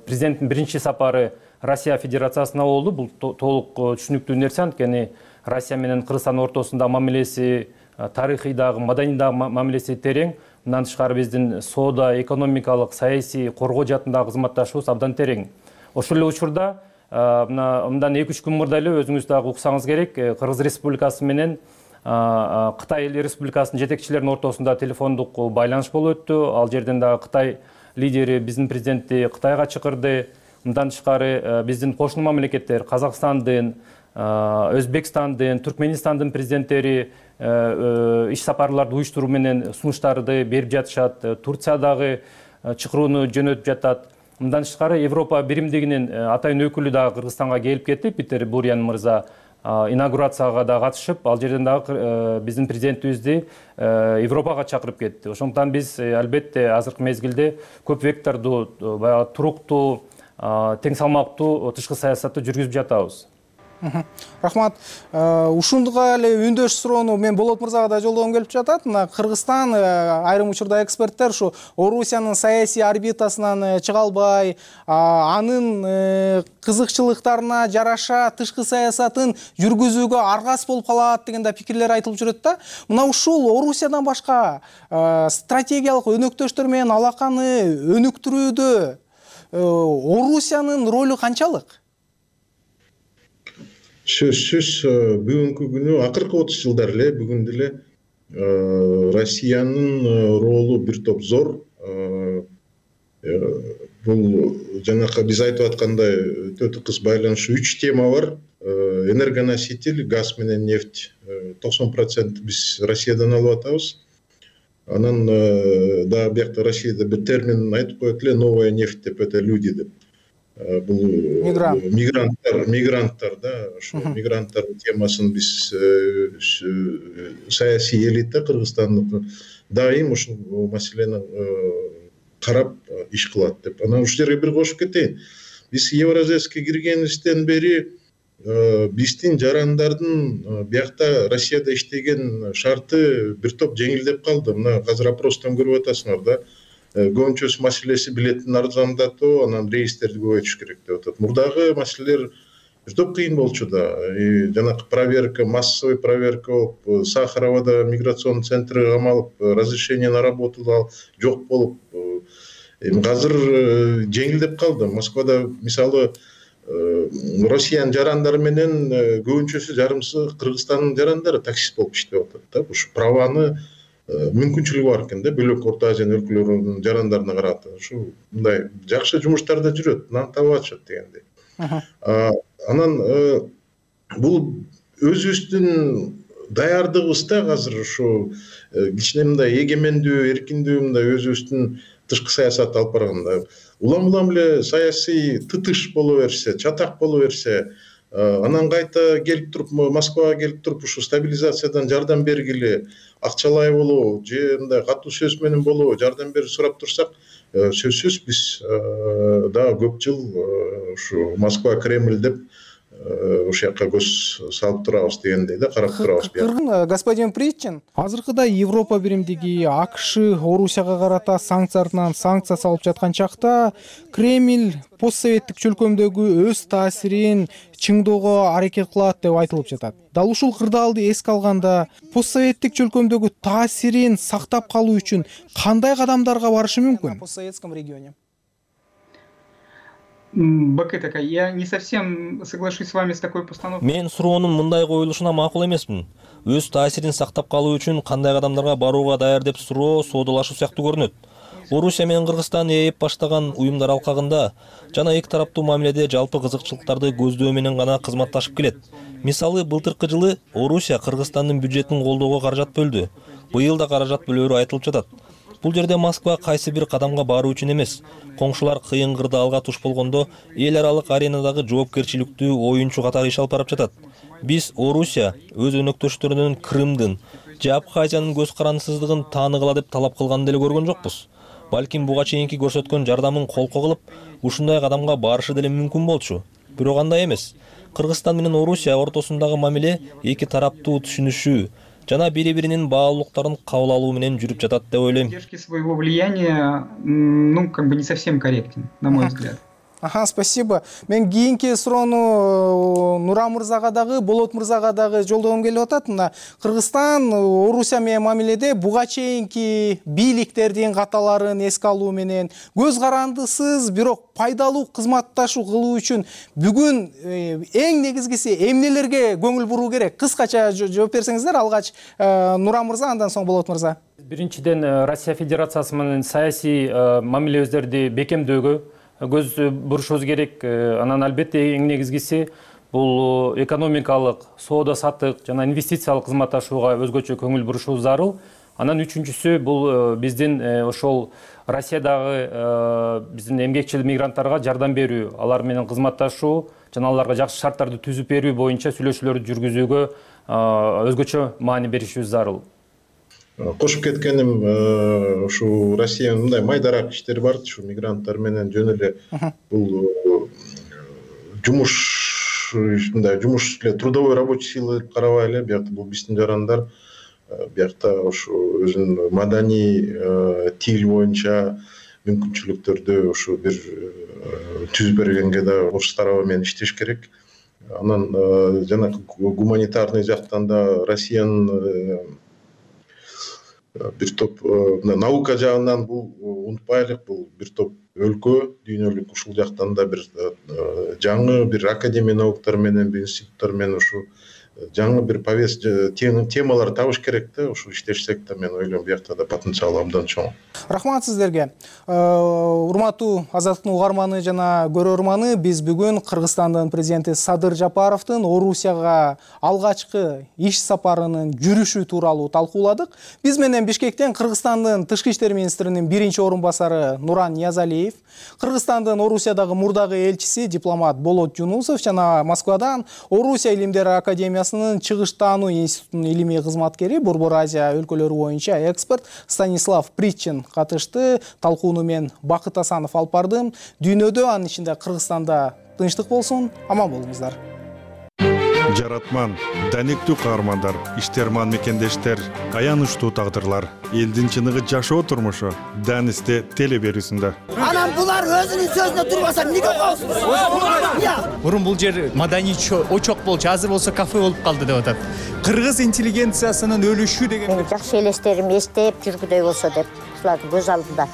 президенттин биринчи сапары Россия Федерациясына болду. Бул толук түшүнүктүү нерсе, анткени Россия менен Кыргызстан ортосунда мамилеси, тарыхый дагы, маданий дагы мамилеси терең. Мындан тышкары биздин соода, экономикалык, саясий, коргоо жаатындагы кызматташуубуз абдан терең. Ошол эле учурда мындан эки үч күн мурда эле өзүңүз дагы уксаңыз керек, Кыргыз Республикасы менен Кытай Республикасынын жетекчилеринин ортосунда телефондук байланыш болуп өттү. Ал жерден дагы Кытай лидери биздин президентти Кытайга чакырды. Мындан тышкары биздин кошуна мамлекеттер Казакстандын, Өзбекстандын, Түркменистандын президенттери иш сапарларды уюштуруу менен сунуштарды берип жатышат. Турциядагы чакырууну жөнөтүп жатат. Мындан тышкары Европа биримдигинин атайын өкүлү дагы Кыргызстанга келип кетти. Питер Бурян мырза инаугурацияга да катышып, ал жерден дагы биздин президентибизди Европага чакырып кетти. Ошондуктан биз албетте азыркы мезгилде көп вектордуу, баягы туруктуу, тең салмактуу тышкы саясатты жүргүзүп жатабыз. Рахмат. Ушундуга эле үндөш суроону мен Болот мырзага да жолдогум келип жатат. Мына Кыргызстан айрым учурда эксперттер ушу Орусиянын саясий орбитасынан чыга албай, анын кызыкчылыктарына жараша тышкы саясатын жүргүзүүгө аргас болуп калат деген да пикирлер айтылып жүрөт да. Мына ушул Орусиядан башка стратегиялык өнөктөштөр менен алаканы өнүктүрүүдө Орусиянын ролу канчалык? Сөзсүз бүгүнкү күнү акыркы отуз жылдар эле бүгүн деле Россиянын ролу бир топ зор. Бул жанакы биз айтып аткандай өтө тыкыз байланышы үч тема бар. Энергоноситель, газ менен нефть токсон процент биз Россиядан алып атабыз. Анан да биякта Россияда бир термин айтып коет эле, новая нефть деп, это люди деп. Бул мигранттар, мигранттар да, ошо мигранттар темасын биз саясий элита Кыргызстандын дайым ушул маселени карап иш кылат деп. Анан ушул жерге бир кошуп кетейин. Биз Евразияска киргенибизден бери биздин жарандардын биякта Россияда иштеген шарты бир топ жеңилдеп калды. Мына азыр опростон көрүп атасыңар да. көбүнчөсү маселеси билеттин арзандатуу, анан рейстерди көбөйтүш керек деп атат. Мурдагы маселелер бир топ кыйын болчу да. Жанакы проверка, массовый проверка болуп, Сахаровада миграционный центрге камалып, разрешение на работу жок болуп, эми азыр жеңилдеп калды. Москвада мисалы Россиянын жарандары менен көбүнчөсү жарымсы Кыргызстандын жарандары таксист болуп иштеп атат да. Ушу праваны мүмкүнчүлүгү бар экен да, бөлөк Орто Азия өлкөлөрүнүн жарандарына карата. Ушу мындай жакшы жумуштарда жүрөт, нан таап атышат дегендей. Анан бул өзүбүздүн даярдыгыбызда азыр ушу кичине мындай эгемендүү, эркиндүү мындай өзүбүздүн тышкы саясатты алып барганда улам улам эле саясий тытыш боло берсе, чатак боло берсе, анан кайта келип туруп Москвага келип туруп ушу стабилизациядан жардам бергиле, акчалай болобу же мындай катуу сөз менен болобу жардам берип сурап турсак, сөзсүз биз дагы көп жыл ушу Москва, Кремль деп ошол жака көз салып турабыз дегендей да, карап турабыз. Господин Причин, азыркыда Европа биримдиги, АКШ Орусияга карата санкциялардан санкция салып жаткан чакта Кремль постсоветтик чөлкөмдөгү өз таасирин чыңдоого аракет кылат деп айтылып жатат. Дал ушул кырдаалды эске алганда, постсоветтик чөлкөмдөгү таасирин сактап калуу үчүн кандай кадамдарга барышы мүмкүн? В постсоветском регионе. БК такая, я не совсем соглашусь с вами с такой постановкой. Мен суроонун мындай коюлушуна макул эмесмин. Өз таасирин сактап калуу үчүн кандай кадамдарга барууга даяр деп суроо соодалашуу сыяктуу көрүнөт. Орусия менен Кыргызстан ээп баштаган уюмдар алкагында жана эки тараптуу мамиледе жалпы кызыкчылыктарды көздөө менен гана кызматташып келет. Мисалы, былтыркы жылы Орусия Кыргызстандын бюджетин колдоого каражат бөлдү. Быйыл да каражат бөлөөрү айтылып жатат. Бул жерде Москва кайсы бир кадамга баруу үчүн эмес, коңшулар кыйын кырдаалга туш болгондо эл аралык аренадагы жоопкерчиликтүү оюнчу катары иш алып барып жатат. Биз Орусия өз өнөктөштөрүнүн Крымдын же Абхазиянын көз карандысыздыгын тааныгыла деп талап кылганын деле көргөн жокпуз. Балким буга чейинки көрсөткөн жардамын колко кылып, ушундай кадамга барышы деле мүмкүн болчу. Бирок андай эмес. Кыргызстан менен Орусия ортосундагы мамиле эки тараптуу түшүнүшүү жана бири-биринин баалуулуктарын кабыл алуу менен жүрүп жатат деп ойлойм. Поддержки своего влияния, ну, как бы не совсем корректен, на мой взгляд. Ага, спасибо. Мен кийинки суроону Нуран мырзага дагы, Болот мырзага дагы жолдогум келип атат. Мына Кыргызстан Орусия менен мамиледе буга чейинки бийликтердин каталарын эске алуу менен көз карандысыз, бирок пайдалуу кызматташуу кылуу үчүн бүгүн эң негизгиси эмнелерге көңүл буруу керек? Кыскача жооп берсеңиздер, алгач Нуран мырза, андан соң Болот мырза. Биринчиден, Россия Федерациясы менен саясий мамилебиздерди бекемдөөгө көз бурушубуз керек. Анан албетте эң негизгиси бул экономикалык, соода саттык жана инвестициялык кызматташууга өзгөчө көңүл бурушубуз зарыл. Анан үчүнчүсү бул биздин ошол Россиядагы биздин эмгекчил мигранттарга жардам берүү, алар менен кызматташуу жана аларга жакшы шарттарды түзүп берүү боюнча сүйлөшүүлөрдү жүргүзүүгө өзгөчө маани беришибиз зарыл. Кошуп кеткеним, ушу Россиянын мындай майдарак иштери бар, ушу мигранттар менен жөн эле бул жумуш, мындай жумуш эле трудовой рабочий сила деп карабай эле, биякта бул биздин жарандар, биякта ушу өзүнүн маданий тил боюнча мүмкүнчүлүктөрдү ушу бир түзүп бергенге да ош тарабы менен иштеш керек. Анан жана гуманитарный жактан да Россиянын бир топ наука жагынан бул унутпайлык, бул бир топ өлкө дүйнөлүк, ушул жактан да бир жаңы бир академия науктар менен, бир институттар менен ушу жаңы бир повестка темалар табыш керек да, ушу иштешсек да мен ойлойм биякта да потенциал абдан чоң. Рахмат сиздерге. Урматтуу Азаттыктын угарманы жана көрөрманы, биз бүгүн Кыргызстандын президенти Садыр Жапаровдун Орусияга алгачкы иш сапарынын жүрүшү тууралуу талкууладык. Биз менен Бишкектен Кыргызстандын тышкы иштер министринин биринчи орун басары Нуран Ниязалиев, Кыргызстандын Орусиядагы мурдагы элчиси дипломат Болот Жунусов жана Москвадан Орусия илимдери академиясынын чыгыштаануу институтунун илимий кызматкери, Борбор Азия өлкөлөрү боюнча эксперт Станислав Причин катышты. Талкууну мен Бакыт Асанов алып бардым. Дүйнөдө, анын ичинде Кыргызстанда тынчтык болсун, аман болуңуздар. жаратман, данектүү каармандар, иштерман мекендештер, аянычтуу тагдырлар, элдин чыныгы жашоо турмушу Данисте теле берүүсүндө. Анан булар өзүнүн сөзүнө турбаса эмнеге коесуз? Мурун бул жер маданий очок болчу, азыр болсо кафе болуп калды деп атат. Кыргыз интеллигенциясынын өлүшү деген. Мен жакшы элестерим эстеп жүргүдөй болсо деп, ушулардын көз алдында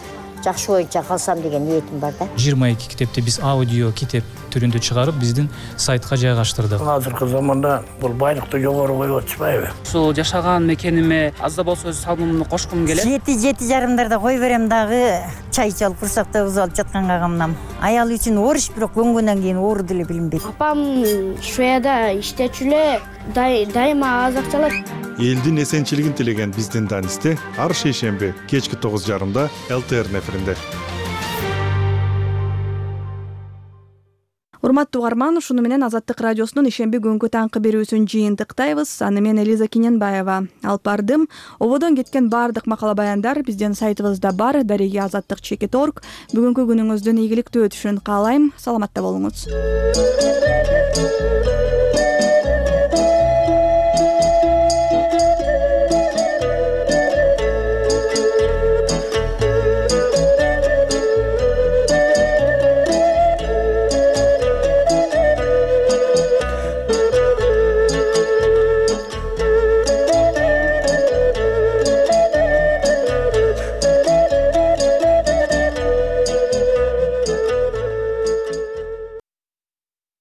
жакшы боюнча калсам деген ниетим бар да. жыйырма эки китепти биз аудио китеп түрүндө чыгарып, биздин сайтка жайгаштырдык. Азыркы заманда бул байлыкты жогору коюп атышпайбы? Ушул жашаган мекениме аз да болсо өз салымымды кошкум келет. Жети жети жарымдарда кой берем дагы, чай чалып курсакта уз алып жатканга камнам. Аял үчүн оруч, бирок көнгөндөн кийин оору деле билинбейт. Апам Шведияда иштечү эле, дайыма аз акча алат. Элдин эсенчилигин тилеген биздин Данисте ар шейшемби кечки тогуз жарымда эл тэ эр эфиринде. Урматтуу угарман, ушуну менен Азаттык радиосунун ишемби күнгү таңкы берүүсүн жыйынтыктайбыз. Аны мен Элиза Киненбаева алып бардым. Ободон кеткен баардык макала баяндар биздин сайтыбызда бар. Дареги азаттык чекит точка орг. Бүгүнкү күнүңүздүн ийгиликтүү өтүшүн каалайм. Саламатта болуңуз.